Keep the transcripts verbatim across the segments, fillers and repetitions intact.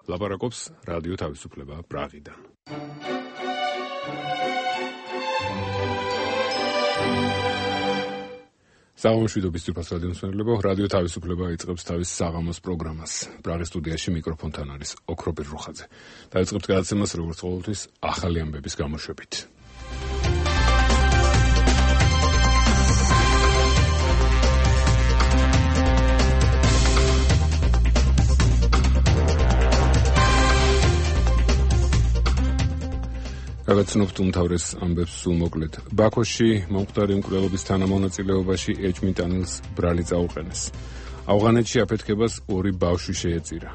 ლაპარაკობს რადიო თავისუფლება პრაღიდან. საღამოშვიდობის ძვირფას რადიო მსმენელებო, რადიო თავისუფლება იწყებს თავის საღამოს პროგრამას. პრაღის სტუდიაში მიკროფონთან არის ოქროპირ რუხაძე. დაიწყებთ გადაცემას როგორც ყოველთვის ახალი ამბების გამოშვებით. გაგაცნობთ უმთავრეს ამბებს სულ მოკლედ. ბაქოში მომხდარი მკვლელობის თანამონაწილეობაში ეჭმიტანილს ბრალი წაუყენეს. ავღანეთში აფეთქებას ორი ბავშვი შეეწირა.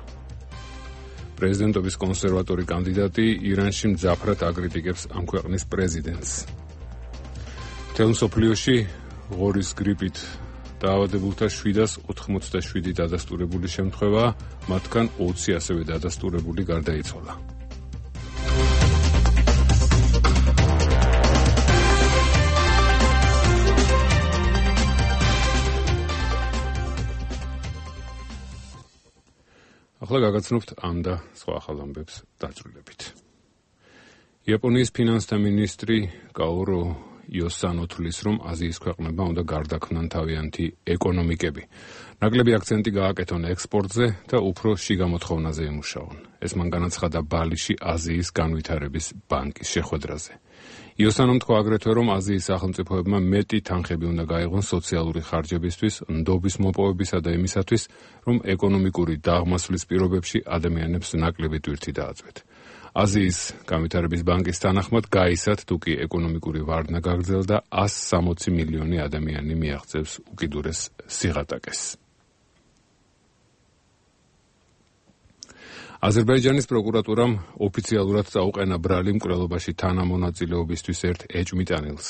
პრეზიდენტობის კონსერვატორი კანდიდატი ირანში მძაფრად აკრიტიკებს ამ ქვეყნის პრეზიდენტს. მთელ მსოფლიოში ღორის გრიპით დაავადებულთა შვიდას ოთხმოცდაშვიდი დადასტურებული შემთხვევაა, მათგან ოცი ასევე დადასტურებული გარდაიცვალა. ახლა გაგაცნობთ ამ და სხვა ახალ ამბებს დაწვრილებით. იაპონიის ფინანსთა მინისტრი კაორო იოსანო თვლის, რომ აზიის ქვეყნებმა უნდა გარდაქმნან თავიანთი ეკონომიკები. ნაკლები აქცენტი გააკეთონ ექსპორტზე და უფრო შიგა მოთხოვნაზე ემუშაონ. ეს მან განაცხადა ბალიში აზიის განვითარების ბანკის შეხვედრაზე. იოსანომ თქვა აგრეთვე, რომ აზიის სახელმწიფოებმა მეტი თანხები უნდა გაეღონ სოციალური ხარჯებისთვის, ნდობის მოპოვებისა და იმისათვის, რომ ეკონომიკური დაღმასვლის პირობებში ადამიანებს ნაკლები ტვირთი დააწვეთ. აზიის განვითარების ბანკის თანახმად, გაისად თუკი ეკონომიკური ვარდნა გაგრძელდა, ას სამოცი მილიონი ადამიანი მიაღწევს უკიდურეს სიღატაკეს. აზერბაიჯანის პროკურატურამ ოფიციალურად წაუყენა ბრალი მკვლელობაში თანამონაწილეობისთვის ერთ ეჭმიტანილს.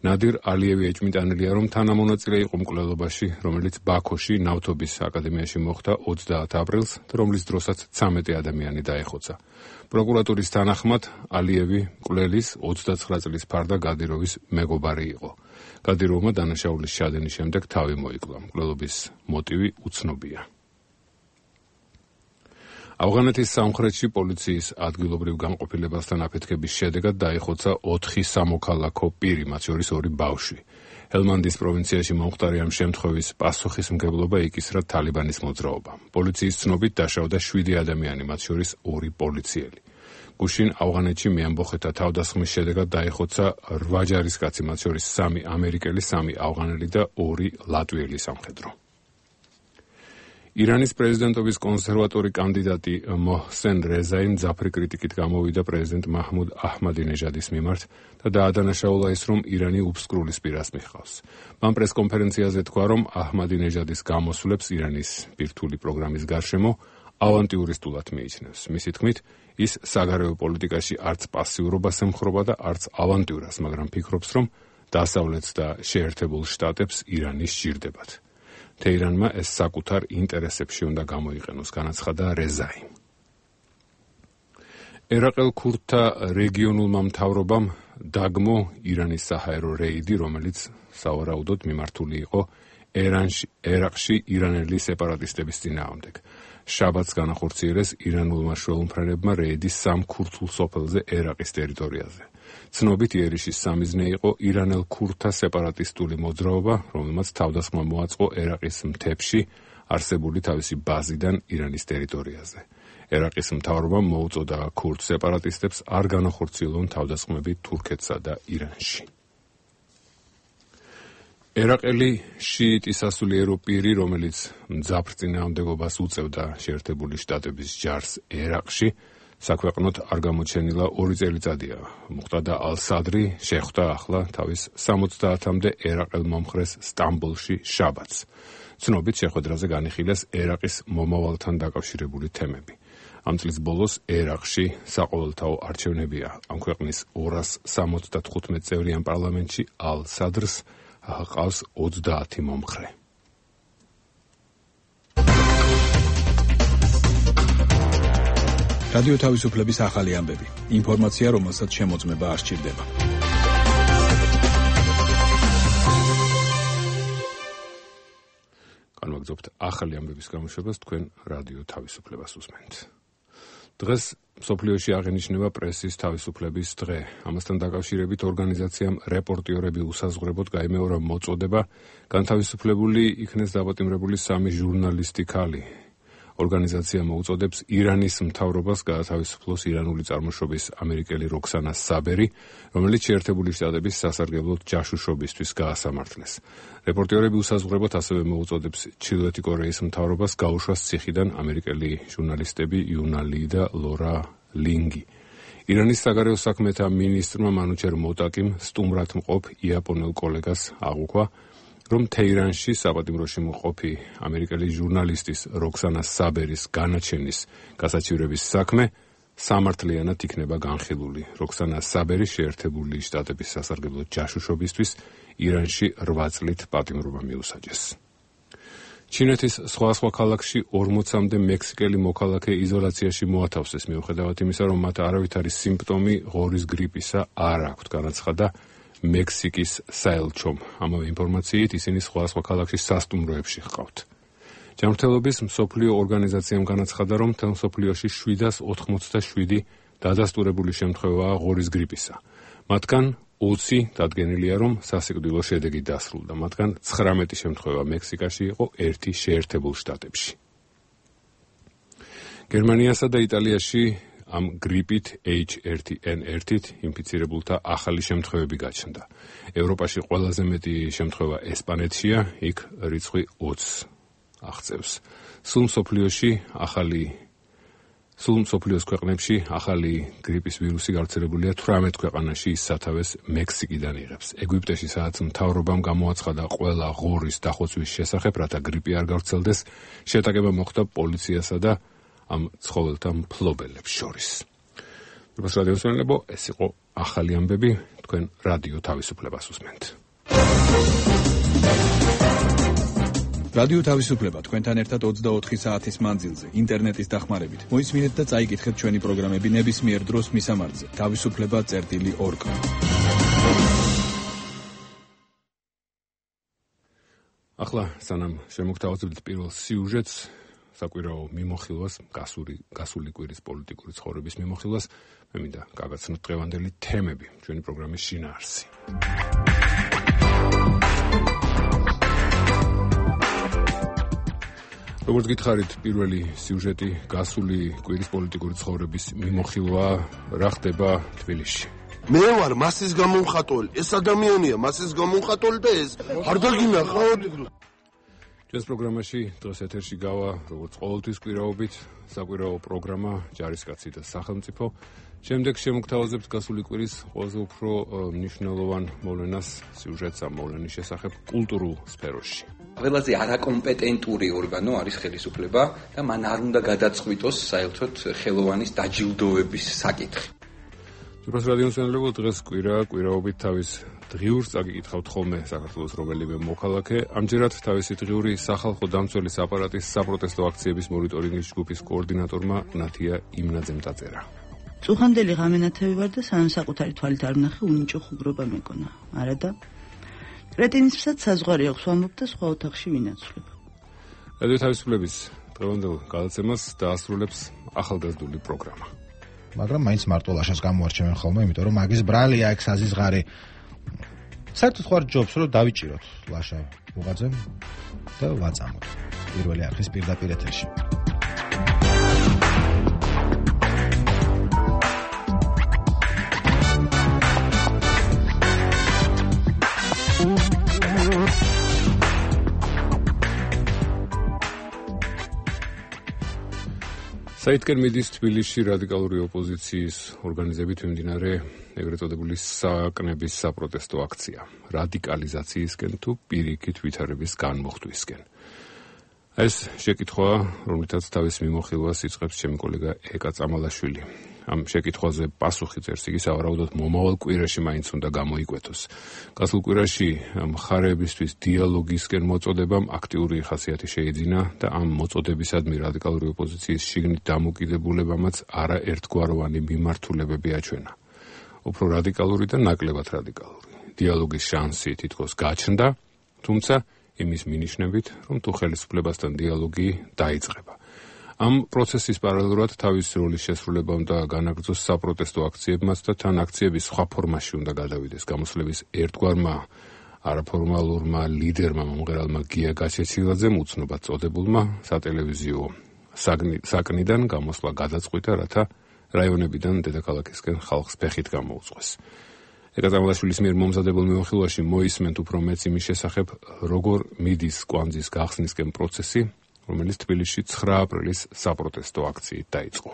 ნადირ ალიევი ეჭმიტანილია, რომ თანამონაწილე იყო მკვლელობაში, რომელიც ბაქოში ნავთობის აკადემიაში მოხდა ოცდაათი აპრილს, რომლის დროსაც ცამეტი ადამიანი დაეხოცა. პროკურატურის თანახმად, ალიევი მკვლელის ოცდაცხრა წლის ფარდა გადიროვის მეგობარი იყო. გადიროვმა დანაშაულის შადენის შემდეგ თავი მოიკლა. მკვლელობის მოტივი უცნობია. ავღანეთის სამხრეთში პოლიციის ადგილობრივ განყოფილებასთან აფეთქების შედეგად დაიხოცა ოთხი სამოქალაქო პირი, მათ შორის ორი ბავშვი. ჰელმანდის პროვინციაში მომხდარი ამ შემთხვევის პასუხისმგებლობა იკისრა თალიბანის მოძრაობამ. პოლიციის ცნობით დაშავდა შვიდი ადამიანი, მათ შორის ორი პოლიციელი. გუშინ ავღანეთში მეამბოხეთა თავდასხმის შედეგად დაიხოცა რვა ჯარისკაცი, მათ შორის სამი ამერიკელი, სამი ავღანელი და ორი ლატვიელი სამხედრო. ირანის პრეზიდენტობის კონსერვატორი კანდიდატი მოჰსენ რეზაი მძაფრი კრიტიკით გამოვიდა პრეზიდენტ მაჰმუდ აჰმადინეჟადის მიმართ და დაადანაშაულა ის, რომ ირანი უფსკრულის პირას მიჰყავს. მან პრესკონფერენციაზე თქვა, რომ აჰმადინეჟადის გამოსვლებს ირანის ბირთვული პროგრამის გარშემო ავანტიურისტულად მიიჩნევს. მისი თქმით, ის საგარეო პოლიტიკაში არც პასიურობას ემხრობა და არც ავანტიურას, მაგრამ ფიქრობს, რომ დასავლეთს და შეერთებულ შტატებს ირანი სჭირდებათ. თეირანმა ეს საკუთარ ინტერესებში უნდა გამოიყენოს, განაცხადა რეზაი. ერაყელ ქურდთა რეგიონულმა მთავრობამ დაგმო ირანის საჰაერო რეიდი, რომელიც სავარაუდოდ მიმართული იყო ერანში, ერაყში ირანელი სეპარატისტების წინააღმდეგ. შაბათს განახორციელეს ირანულმა შუალმფრენებმა რეიდი სამ ქურთულ სოფელზე ერაყის ტერიტორიაზე. ცნობით იერიშის სამიზნე იყო ირანელ ქურდთა სეპარატისტული მოძრაობა, რომელმაც თავდასხმა მოაწყო ერაყის მთებში არსებული თავისი ბაზიდან ირანის ტერიტორიაზე. ერაყის მთავრობამ მოუწოდა ქურდ სეპარატისტებს არ განახორციელონ თავდასხმები თურქეთსა და ირანში. ერაყელი შიიტი სასულიერო პირი, რომელიც მძაფრ წინააღმდეგობას უწევდა შეერთებული შტატების ჯარს ერაყში, საქვეყნოდ არ გამოჩენილა ორი წელიწადია. მუხტადა ალ-სადრი შეხვდა ახლა თავის სამოცდაათამდე ერაყელ მომხრეს სტამბოლში შაბათს. ცნობით შეხვედრაზე განიხილეს ერაყის მომავალთან დაკავშირებული თემები. ამ წლის ბოლოს ერაყში საყოველთაო არჩევნებია. ამ ქვეყნის ორას სამოცდათხუთმეტ წევრიან პარლამენტში ალ-სადრს ჰყავს ოცდაათი მომხრე. რადიო თავისუფლების ახალი ამბები. ინფორმაცია, რომელსაც შემოწმება არ სჭირდება. განვაგრძობთ ახალი ამბების გამოშვებას, თქვენ რადიო თავისუფლებას უსმენთ. დღეს მსოფლიოში აღენიშნება პრესის თავისუფლების დღე. ამასთან დაკავშირებით ორგანიზაციამ რეპორტიორები უსაზღვრებოდ გაიმეორა მოწოდება, განთავისუფლებული იქნეს დაპატიმრებული სამი ჟურნალისტი ქალი. ორგანიზაცია მოუწოდებს ირანის მთავრობას გაათავისუფლოს ირანული წარმოშობის ამერიკელი როქსანა საბერი, რომელიც შეერთებული შტატების სასარგებლოდ ჯაშუშობისთვის გაასამართლეს. რეპორტიორები უსაზღვრებოდ ასევე მოუწოდებს ჩრდილოეთი კორეის მთავრობას გაუშვას ციხიდან ამერიკელი ჟურნალისტები იუნა ალი და ლორა ლინგი. ირანის საგარეო საქმეთა მინისტრმა მანუჩერ მოტაკიმ სტუმრად მყოფ იაპონელ კოლეგას აღუქვა, რომ თეირანში საპატიმროში მყოფი ამერიკელი ჟურნალისტის როქსანა საბერის განაჩენის გასაჩივრების საქმე სამართლიანად იქნება განხილული. როქსანა საბერი შეერთებული შტატების სასარგებლოდ ჯაშუშობისთვის ირანში რვა წლით პატიმრობა მიუსაჯეს. ჩინეთის სხვა სხვა ქალაქში ორმოცამდე მექსიკელი მოქალაქე იზოლაციაში მოათავსეს მიუხედავად იმისა, რომ მათ არავითარი სიმპტომი ღორის გრიპისა არ აქვთ, განაცხადა მექსიკის საელჩომ. ამავე ინფორმაციით ისინი სხვა სხვა ქალაქში სასტუმროებში ჰყავთ. ჯანმრთელობის მსოფლიო ორგანიზაციამ განაცხადა, რომ მთელ მსოფლიოში შვიდას ოთხმოცდაშვიდი დადასტურებული შემთხვევაა ღორის გრიპისა. მათგან ოცი დადგენილია, რომ სასიკვდილო შედეგი დასრულდა. მათგან ცხრამეტი შემთხვევა მექსიკაში იყო, ერთი შეერთებულ შტატებში. გერმანიასა და იტალიაში ამ გრიპით ეიჩ ერთი ენ ერთით ინფიცირებულთა ახალი შემთხვევები გაჩნდა. ევროპაში ყველაზე მეტი შემთხვევა ესპანეთშია, იქ რიცხვი ოცს აღწევს. სულ მსოფლიოში ახალი სულ მსოფლიოს ქვეყნებში ახალი გრიპის ვირუსი გავრცელებულია თვრამეტ ქვეყანაში, ის სათავეს მექსიკიდან იღებს. ეგვიპტეში სადაც მთავრობამ გამოაცხადა ყველა ღორის დახოცვის შესახებ, რათა გრიპი არ გავრცელდეს, შეტაკება მოხდა პოლიციასა და ამ ცხოველთა მფლობელებს შორის. როგორც რადიოს მსმენელებო, ეს იყო ახალი ამბები, თქვენ რადიო თავისუფლებას უსმენთ. რადიო თავისუფლება თქვენთან ერთად ოცდაოთხი საათის მანძილზე, ინტერნეტის დახმარებით. მოისმინეთ და წაიკითხეთ ჩვენი პროგრამები ნებისმიერ დროს მისამართზე. თავისუფლება წერტილი ორგ. ახლა სანამ შემოგთავაზებთ პირველ სიუჟეტს, საკვირაო მიმოხილვას, გასული გასული კვირის პოლიტიკური ცხოვრების მიმოხილვას, მე მინდა გავაცნოთ დღევანდელი თემები ჩვენი პროგრამის შინაარსი. როგორც გითხარით, პირველი სიუჟეტი გასული კვირის პოლიტიკური ცხოვრების მიმოხილვა, რა ხდება თბილისში. მე ვარ მასის გამომხატველი, ეს ადამიანია მასის გამომხატველი და ეს არ დაგინახავთ. ჩვენს პროგრამაში დღეს ეთერში გავა, როგორც ყოველთვის კვირაობით, საკვირაო პროგრამა ჯარისკაცი და სახელმწიფო. შემდეგ შემოგთავაზებთ გასული კვირის ყველაზე უფრო მნიშვნელოვან მოვლენას, სიუჟეტს ამ მოვლენის შესახებ კულტურულ სფეროში. ყველაზე არაკომპეტენტური ორგანო არის ხელისუფლება და მან არ უნდა გადაწყვიტოს საერთოდ ხელოვანის დაჯილდოების საკითხი. როგორც რადიო მსმენელებო, დღეს კვირა, კვირაობით თავის დღიურს წაგიკითხავთ ხოლმე საქართველოს რომელიმე მოქალაქე. ამჯერად თავისი დღიური სახალხო დამცველის აპარატის საპროტესტო აქციების მონიტორინგის ჯგუფის კოორდინატორმა ნათია იმნაძემ დაწერა. წუხანდელი ღამენათევი ვარ და სანამ საკუთარი თვალით არ ვნახე, უნიჭო ხუგრობა მეკონა. არა და კრეტინისთვისაც საზღვარი აქვს ვამბობ და სხვა ოთახში ვინაცვლებ. რადიო თავისუფლების დღევანდელ გადაცემას დაასრულებს ახალგაზრდული პროგრამა. მაგრამ მაინც მარტო ლაშას გამოარჩევენ ხოლმე, იმიტომ რომ მაგის ბრალია ეგ საზიზღარი. საერთოდ ხარ ჯობს რომ დავიჭიროთ ლაშა უღაძემ და ვაწამოთ. პირველი არხის პირდაპირ ეთერში. საითკენ მიდის თბილისში რადიკალური ოპოზიციის ორგანიზებით მიმდინარე ეგრეთ წოდებული საკნების საპროტესტო აქცია რადიკალიზაციისკენ თუ პირიქით ვითარების განმოხტვისკენ. ეს შეკითხვა, რომლითაც თავის მიმოხილვას იწყებს ჩემი კოლეგა ეკა წამალაშვილი. ამ შეკითხვაზე პასუხი წერს იგი სავარაუდოდ მომავალ კვირაში მაინც უნდა გამოიკვეთოს. გასულ კვირაში მხარეებისთვის დიალოგისკენ მოწოდებამ აქტიური ხასიათი შეიძინა და ამ მოწოდებისადმი რადიკალური ოპოზიციის შიგნით დამოკიდებულებამაც არაერთგვაროვანი მიმართულებები აჩვენა. უფრო რადიკალური და ნაკლებად რადიკალური. დიალოგის შანსი თითქოს გაჩნდა, თუმცა იმის მინიშნებით, რომ თუ ხელისუფლებასთან დიალოგი დაიწყება. ამ პროცესის პარალელურად თავის როლის შესრულება უნდა განაგრძოს საპროტესტო აქციებმაც და თან აქციების სხვა ფორმაში უნდა გადავიდეს გამოსვლების ერთგვარმა არაფორმალურმა ლიდერმა მომღერალმა გია გაჩეჩილაძემ უცნობად წოდებულმა სატელევიზიო საკნიდან გამოსვლა გადაწყვიტა, რათა რაიონებიდან დედაქალაქისკენ ხალხს ფეხით გამოუწყვეს. ეკატერინაშვილის მიერ მომზადებულ მიმოხილვაში მოისმენთ უფრო მეც იმის შესახებ, როგორ მიდის კვანძის გახსნისკენ პროცესი, რომელიც თბილისში ცხრა აპრილის საპროტესტო აქციით დაიწყო.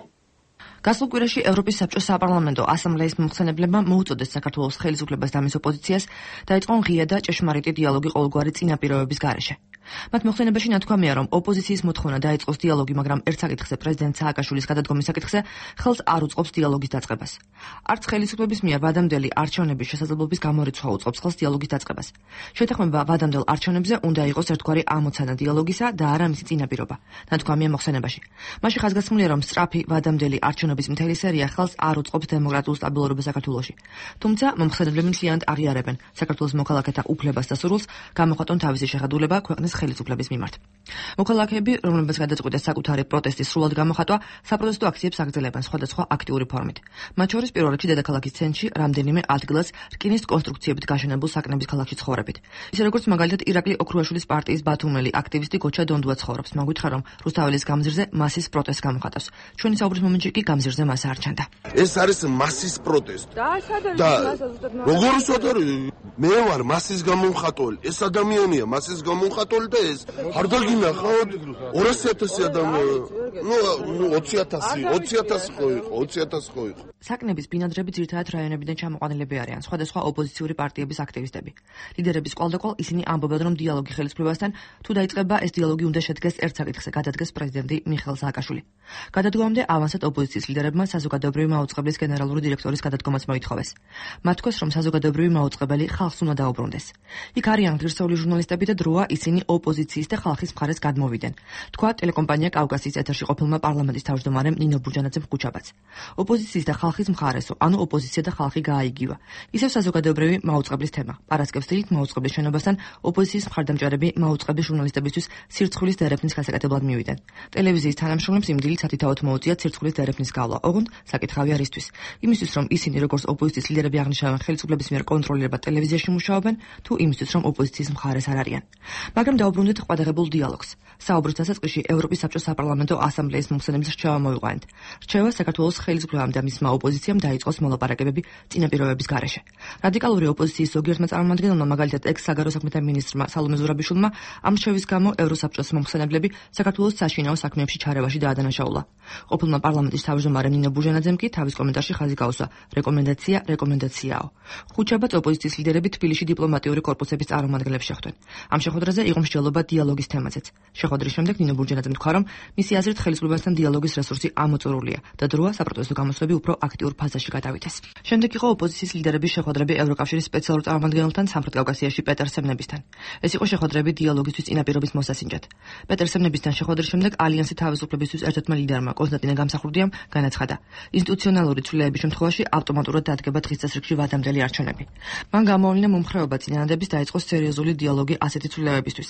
გასულ კვირაში ევროპის საბჭოს საპარლამენტო ასამბლეის მომხსენებლებმა მოუწოდეს საქართველოს ხელისუფლებას და მის ოპოზიციას დაიწყონ ღია და ჭეშმარიტი დიალოგი ყოველგვარი წინაპირობების გარეშე. მათ მოხსენებაში ნათქვამია, რომ ოპოზიციის მოთხოვნა დაიწყოს დიალოგი, მაგრამ ერთ საკითხზე პრეზიდენტ სააკაშვილის გადადგომის საკითხზე ხელს არ უწყობს დიალოგის დაწყებას. არც ხელისუფლების მიერ ვადამდელი არჩევნების შესაძლებლობის გამორიცხვა უწყობს ხელს დიალოგის დაწყებას. შეთანხმება ვადამდელ არჩევნებზე უნდა იყოს ერთგვარი ამოცანა დიალოგისა და არა მისი წინაპირობა, ნათქვამია მოხსენებაში. მასში ხაზგასმულია, რომ სწრაფი ვადამდელი არჩევნების მთელი სერია ხელს არ უწყობს დემოკრატიულ სტაბილურობას საქართველოში. თუმცა მომხსენებლები მთლიანად აღიარებენ საქართველოს მოქალაქეთა უფლებას და სურვილს გამოხატონ თავისი შეხედულება ქვეყნის ხელისუფლების მიმართ. მოქალაქეები, რომლებიც გადაწყვიტეს საკუთარი პროტესტის სრულად გამოხატვა, საპროტესტო აქციებს აგრძელებენ სხვადასხვა აქტიური ფორმით. მათ შორის პირველ რიგში დედაქალაქის ცენტრში რამდენიმე ადგილას რკინის კონსტრუქციებით გაშენებულ საკნების ქალაქში ცხოვრებით. ისე როგორც მაგალითად ირაკლი ოქრუაშვილის პარტიის ბათუმელი აქტივისტი გოჩა დონდუა ცხოვრობს. მან გითხრა, რომ რუსთაველის გამზირზე მასის პროტესტს გამოხატავს. ჩვენი საუბრის მომენტში კი გამზირზე მას არ ჩანდა. ეს არის მასის პროტესტი. და როგორ ვსვათარი? მე ვარ მასის გამომხატველი. ეს ადამიანია მასის გამომხატველი და ეს არ დაგინახავთ ორასი ათასი ადამიანი. ნუ ოცი ათასი, ოცი ათასი ხო იყო, ოცი ათასი ხო იყო. საკნების ბინადრები ძირითადად რაიონებიდან ჩამოყვანილები არიან, სხვადასხვა ოპოზიციური პარტიების აქტივისტები. ლიდერების კვალდაკვალ ისინი ამბობენ, რომ დიალოგი ხელისუფლებასთან თუ დაიწყება, ეს დიალოგი უნდა შედგეს ერთ საკითხზე, გადადგეს პრეზიდენტი მიხეილ სააკაშვილი. გადადგომამდე ავანსად ოპოზიციის ლიდერებმა საზოგადოებრივი მაუწყებლის გენერალური დირექტორის გადადგომაც მოითხოვეს. მათ თქოს, რომ საზოგადოებრივი მაუწყებელი ხალხს უნდა დაუბრუნდეს. იქ არიან ღირსეული ჟურნალისტები და დროა ისინი ოპოზიციის და ხალხის მხარეს გადმოვიდნენ. თქვა ტელეკომპანია კავკასიის ეთერში ყოფილმა პარლამენტის თავმჯდომარემ ნინო ბურჯანაძემ ხუჩაბაც. ოპოზიციის და ხალხის მხარესო, ანუ ოპოზიცია და ხალხი გააიგივა. ისევ საზოგადოებრივი მაუწყებლის თემა. პარასკევს დილით მაუწყებლის შენობასთან ოპოზიციის მხარდამჭერები მაუწყებლის ჟურნალისტებისთვის სირცხვილის დერეფნის გასაკეთებლად მივიდნენ. ტელევიზიის თანამშრომლებს იმ დილით სათითაოდ მოუწიათ სირცხვილის დერეფნის გავლა. ოღონდ საკითხავი არის ისთვის. იმისთვის, რომ ისინი როგორც ოპოზიციის ლიდერები აღნიშნავენ ხელისუფლების მიერ კონტროლირებად ტელევიზიაში მუშაობენ, თუ იმისთვის, რომ ოპოზიციის მხარეს არ არიან. მაგრამ დაუბრუნდით ყვადაღებულ დიალოგს. საუბრის დასაწყისში ევროპის საბჭოს საპარლამენტო ასამბლეის მომხსენების რჩევა მოიყვანეთ. რჩევა საქართველოს ხელისუფლებამ და მისმა ოპოზიციამ დაიწყოს მოლაპარაკებები წინაპირობების გარეშე. რადიკალური ოპოზიციის ზოგიერთმა წარმომადგენელმა, მაგალითად ექს-საგარეო საქმეთა მინისტრმა სალომე ზურაბიშვილმა, ამ რჩევის გამო ევროსაბჭოს მომხსენებლები საქართველოს საშინაო საქმეებში ჩარევაში დაადანაშაულა. ყოფილმა პარლამენტის თავმჯდომარემ ნინო ბურჟანაძემ კი თავის კომენტარში ხაზი გაუსვა: რეკომენდაცია, რეკომენდაციაო. ხუჩაბაც ოპოზიციის ლიდერები თბილისში დიპლომატიური კორპუსების წარმომადგენლებს შეხვდნენ. ამ შეხვედრაზე იყო მსჯელობა დიალოგის თემაზეც. შეხვედრის შემდეგ ნინო ბურჯანაძემ თქვა, რომ მისი აზრით ხელისუფლებასთან დიალოგის რესურსი ამოწურულია და დროა საპროტესტო გამოსვლები უფრო აქტიურ ფაზაში გადავიდეს. შემდეგ იყო ოპოზიციის ლიდერების შეხვედრები ევროკავშირის სპეციალურ წარმომადგენელთან სამხრეთ კავკასიაში პეტერ სემნებისთან. ეს იყო შეხვედრები დიალოგისთვის წინაპირობის მოსასინჯად. პეტერ სემნებისთან შეხვედრის შემდეგ ალიანსი თავისუფლებისთვის ერთ-ერთმა ლიდერმა კონსტანტინე გამსახურდიამ განაცხადა: ინსტიტუციონალური ცვლილებების შემთხვევაში ავტომატურად დადგება დღის წესრიგში ვადამდელი არჩევნები. მან გამოავლინა მომხრეობა წინადადების დაიწყოს სერიოზული დიალოგი ასეთი ცვლილებებისთვის.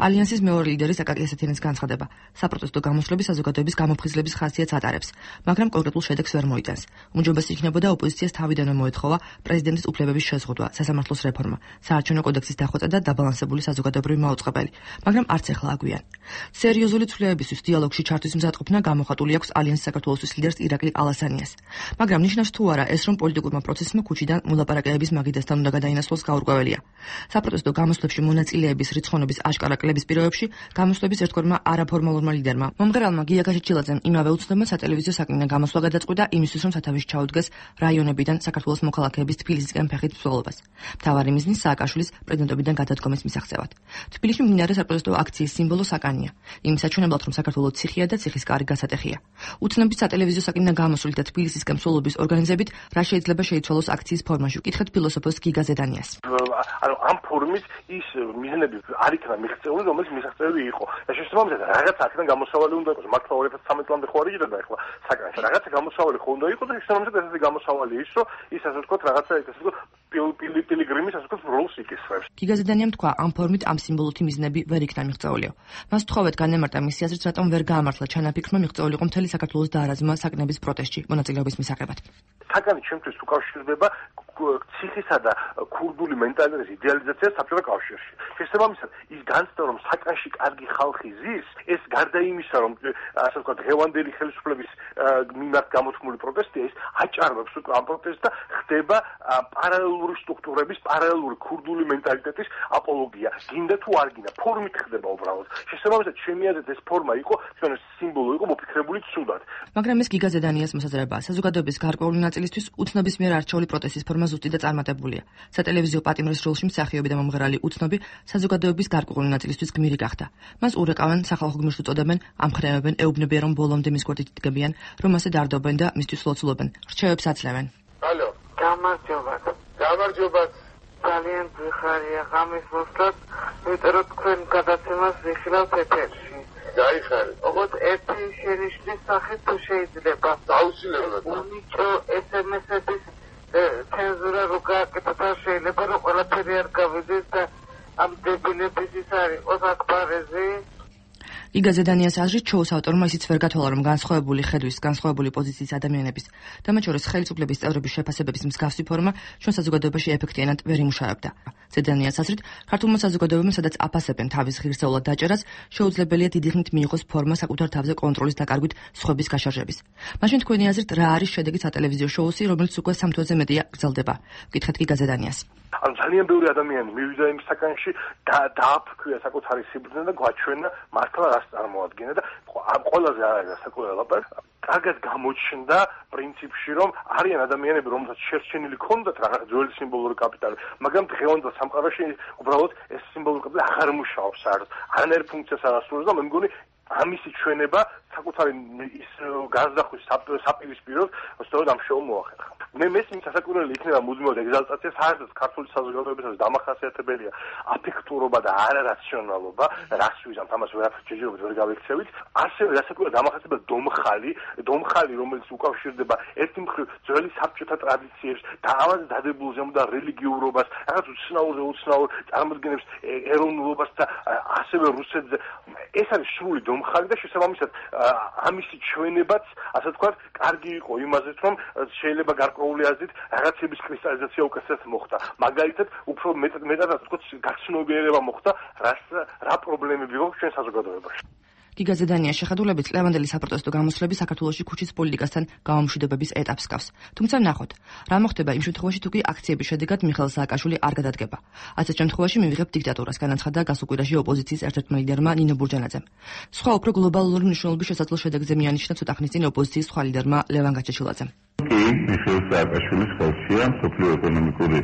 ალიანსის მეორე ლიდერი აკაკი ასათიანის განცხადება: საპროტესტო გამოსვლები საზოგადოების გამოფხიზლების ხასიათს ატარებს, მაგრამ კონკრეტულ შედეგს ვერ მოიტანს. უმჯობესი იქნებოდა ოპოზიციას თავიდანვე მოეთხოვა პრეზიდენტის უფლებების შეზღუდვა, სასამართლოს რეფორმა, საარჩევნო კოდექსის დახვეწა და დაბალანსებული საზოგადოებრივი მაუწყებელი, მაგრამ არც ახლა აგვიან. სერიოზული ცვლილებებისთვის დიალოგში ჩართვის მზადყოფნა გამოხატული აქვს ალიანსის საქართველოსთვის ლიდერს ირაკლი ალასანიას. მაგრამ ნიშნავს თუ არა ეს, რომ პოლიტიკურმა პროცესმა ქუჩიდან მოლაპარაკებების მაგიდასთან უნდა გადაინაცვლოს გაურკვეველია. საპროტესტო გამოსვლებში მონაწილეების რიცხოვნობის აშკარა კლების პირობებში გამოსვლების ერთგვარმა არაფორმალურმა ლიდერმა მომღერალმა გია გაჩეჩილაძემ იმავე უცნობმა სატელევიზიო საკნიდან გამოსვლა გადაწყვიტა იმისთვის, რომ სათავეში ჩაუდგეს რაიონებიდან საქართველოს მოქალაქეების თბილისისკენ ფეხით მსვლელობას. მთავარი მიზნი სააკაშვილის პრეზიდენტობიდან გადადგომის მისაღწევად. თბილისში მიმდინარე საპროტესტო აქციის სიმბოლო საკანია. იმ საჩვენებლად, რომ საქართველოს ციხია და ციხის კარი გასატეხია. უცნობით სატელევიზიო საკნიდან გამოსვლით და თბილისისკენ მსვლელობის ორგანიზებით რა შეიძლება შეიცვალოს აქციის ფორმაში? ვკითხეთ ფილოსოფოს გიგა ზედანიას. ანუ ამ ფორმით ის მიზნები არ იქნა მიღწეული, რომელიც მიღწეული იყო. და შესაბამისად რაღაც აქედან გამოსავალი უნდა იყოს. მართლა ორი ათას ცხრამეტი წლამდე ხო არ იგივე და ახლა საკანში რაღაცა გამოსავალი ხო უნდა იყოს და შესაბამისად ესეთი გამოსავალი ის, რომ ის ასე ვთქვათ რაღაცა ესე ვთქვათ პილიგრიმის ასე ვთქვათ როლს იკისრებს. გიგაზედანიამ თქვა, ამ ფორმით ამ სიმბოლოთი მიზნები ვერ იქნა მიღწეულიო. მას თხოვეთ განემარტა მისი აზრით, რატომ ვერ გაამართლა ჩანაფიქრმა მიღწეულიყო მთელი საქართველოს დაარაზმა საკნების პროტესტში მონაწილეობის მისაღებად. საკანი ჩემთვის უკავშირდება ციხისა და ქურდული მენტალიტეტის იდეალიზაციას საბჭოთა კავშირში. შესაბამისად, ის განცდა, რომ საკანში კარგი ხალხი ზის, ეს გარდა იმისა, რომ ასე ვთქვათ, დღევანდელი ხელისუფლების მიმართ გამოთქმული პროტესტია, ის აჭარბებს უკვე ამ პროტესტს და ხდება პარალელური სტრუქტურების, პარალელური ქურდული მენტალიტეტის აპოლოგია. გინდა თუ არ გინდა, ფორმით ხდება უბრალოდ. შესაბამისად, ჩემი აზრით ეს ფორმა იყო, ჩვენ სიმბოლო იყო მოფიქრებული ცუდად. მაგრამ ეს გიგაზედანიას მოსაზრებაა. საზოგადოების გარკვეული ნაწილისთვის უცნობის მიერ არჩეული პროტესტის ფორმა ზუსტი და წარმატებულია. სატელევიზიო პატიმრის როლში მსახიობი და მომღერალი უცნობი საზოგადოების გარკვეული ნაწილისთვის გმირი გახდა. მას ურეკავენ, სახალხო გმირს უწოდებენ, ამხნევებენ, ეუბნებიან, რომ ბოლომდე მის გვერდით იდგებიან, რომ ასე დარდობენ და მისთვის ლოცულობენ. რჩევებს აძლევენ. ალო, გამარჯობა. გამარჯობა. ძალიან გვიხარია ღამის მოსვლად, იმიტომ რომ თქვენ გადაცემას ვიხილავთ ეთერში. გაიხარეთ. ოღონდ ერთი შენიშვნის სახით თუ შეიძლება. აუცილებლად. უნიჭო ეს ემ ეს-ების ცენზურა რო გააკეთოთ, შეიძლება რომ ყველაფერი არ გავიდეს და ამ დებილების ის არის იყოს აკბარეზი. გიგაზედანიას აზრით, შოუს ავტორმა ისიც ვერ გათვალა, რომ განსხვავებული ხედვის, განსხვავებული პოზიციის ადამიანების და მათ შორის ხელისუფლების წევრების შეფასებების მსგავსი ფორმა ჩვენ საზოგადოებაში ეფექტიანად ვერ იმუშავებდა. ზედანიას აზრით, ქართულმა საზოგადოებამ სადაც აფასებენ თავის ღირსეულად დაჭერას, შეუძლებელია დიდი ხნით მიიღოს ფორმა საკუთარ თავზე კონტროლის დაკარგვით სხვების გაშარჟების. მაშინ თქვენი აზრით, რა არის შედეგი სატელევიზიო შოუსი, რომელიც უკვე სამ თვეზე მეტია გრძელდება? გითხეთ გიგაზედანიას. ანუ ძალიან ბევრი ადამიანი მივიდა იმ საკანში და დააფქვია საკუთარი სიბრძნე და გვაჩვენა მართლა რას წარმოადგენდა და ამ ყველაზე არა საკუთარ ლაპარაკ კარგად გამოჩნდა პრინციპში, რომ არიან ადამიანები, რომელსაც შერჩენილი ქონდათ რაღაც ძველი სიმბოლური კაპიტალი, მაგრამ დღევანდელ სამყაროში უბრალოდ ეს სიმბოლური კაპიტალი აღარ მუშაობს საერთოდ. არანაირ ფუნქციას არ ასრულებს და მე მგონი ამისი ჩვენება საკუთარი ის განზრახვის საპირისპიროდ სწორედ ამ შოუმ მოახერხა. მე მესმის სასაკვირველი იქნება მუდმივად ეგზალტაცია, საერთოდ ქართული საზოგადოებისას დამახასიათებელია აფექტურობა და არარაციონალობა, რას ვიზამთ, ამას ვერაფერ ჯერჯერობით ვერ გავიქცევით. ასევე სასაკვირველად დამახასიათებელია დომხალი, დომხალი, რომელიც უკავშირდება ერთი მხრივ ძველი საბჭოთა ტრადიციებს და ამაზე დადებულზე და რელიგიურობას, რაღაც უცნაურზე უცნაურ წარმოდგენებს, ეროვნულობას და ასევე რუსეთზე. ეს არის სრული დომხალი და შესაბამისად ამისი ჩვენებაც, ასე ვთქვათ, კარგი იყო იმაზეც, რომ შეიძლება გარკვეული აზრით რაღაცების კრისტალიზაცია უკეთესად მოხდა. მაგალითად, უფრო მეტად მეტად ასე ვთქვათ, გაცნობიერება მოხდა, რას რა პრობლემები გვაქვს ჩვენ საზოგადოებაში. გიგაზედანიას შეხედულებით ლევანდელი საპროტესტო გამოსვლები საქართველოში ქუჩის პოლიტიკასთან გამომშვიდობების ეტაპს გავს. თუმცა ნახოთ, რა მოხდება იმ შემთხვევაში, თუ კი აქციების შედეგად მიხეილ სააკაშვილი არ გადადგება. ასეთ შემთხვევაში მივიღებთ დიქტატურას, განაცხადა გასუკვირაში ოპოზიციის ერთ-ერთმა ლიდერმა ნინო ბურჯანაძემ. სხვა უფრო გლობალური მნიშვნელობის შესაძლო შედეგზე მიანიშნა ცოტა ხნის წინ ოპოზიციის სხვა ლიდერმა ლევან გაჩეჩილაძემ. კი, მიხეილ სააკაშვილის ხელშია მსოფლიო ეკონომიკური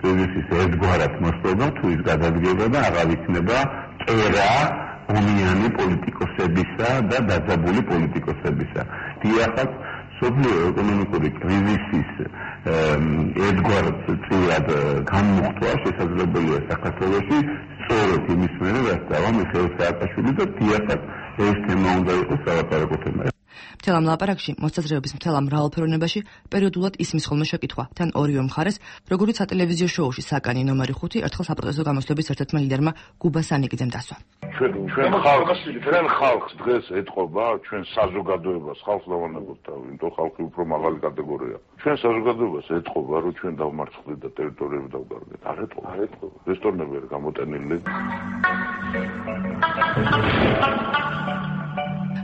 კრიზისის ერთგვარად მოსწრება, თუ ის გადადგება და აღარ იქნება წერა ომიანი პოლიტიკოსებისა და დაძაბული პოლიტიკოსებისა. დიახაც, მსოფლიო ეკონომიკური კრიზისის ერთგვარად წილად განმუხტვა შესაძლებელია საქართველოში სწორედ იმის მერე, რაც დავა მიხეილ სააკაშვილი და დიახაც ეს თემა უნდა იყოს სალაპარაკო თემა. მთელ ამ ლაპარაკში მოსაზრებების მთელ ამ მრავალფეროვნებაში პერიოდულად ისმის ხოლმე შეკითხვა თან ორივე მხარეს, როგორც სატელევიზიო შოუში საკანი ნომერი ხუთი ერთხელ საპროტესტო გამოსვლების ერთ-ერთმა ლიდერმა გუბა სანიკიძემ დასვა. ჩვენ ჩვენ ხალხს ჩვენ ხალხს დღეს ეთყობა, ჩვენ საზოგადოებას ხალხს დავანებოთ თავი, იმიტომ ხალხი უფრო მაღალი კატეგორია. ჩვენ საზოგადოებას ეთყობა, რომ ჩვენ დავმარცხდით და ტერიტორიები დავგარდეთ. არ ეთყობა, არ ეთყობა. რესტორნები არ გამოტენილი.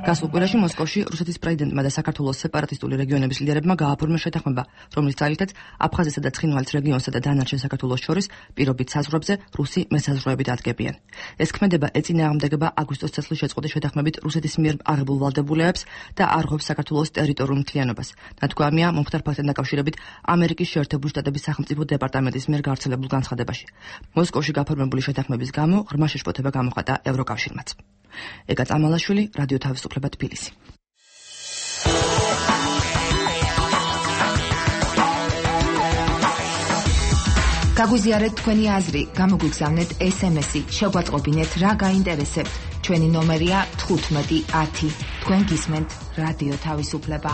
გასულ კვირაში მოსკოვში რუსეთის პრეზიდენტმა და საქართველოს სეპარატისტული რეგიონების ლიდერებმა გააფორმეს შეთანხმება, რომლის ძალითაც აფხაზეთსა და ცხინვალის რეგიონსა და დანარჩენ საქართველოს შორის პირობით საზღვრებზე რუსი მესაზღვრეები დადგებიან. ეს ქმედება ეწინააღმდეგება აგვისტოს წესლის შეწყვეტის შეთანხმებით რუსეთის მიერ აღებულ ვალდებულებას და არღვევს საქართველოს ტერიტორიულ მთლიანობას. ნათქვამია მომხდარ ფაქტთან დაკავშირებით ამერიკის შეერთებული შტატების სახელმწიფო დეპარტამენტის მიერ გავრცელებულ განცხადებაში. მოსკოვში გაფორმებული შეთანხმების გამო ღრმა შეშფოთება გამოხატა ევროკავშირმაც. ეგა წამალაშვილი, რადიო თავისუფლება თბილისი. გაგვიზიარეთ თქვენი აზრი, გამოგვიგზავნეთ ეს ემ ესი, შეგვაწყობინეთ რა გაინტერესებთ. ჩვენი ნომერია თხუთმეტი ათი. თქვენ გისმენთ რადიო თავისუფლება.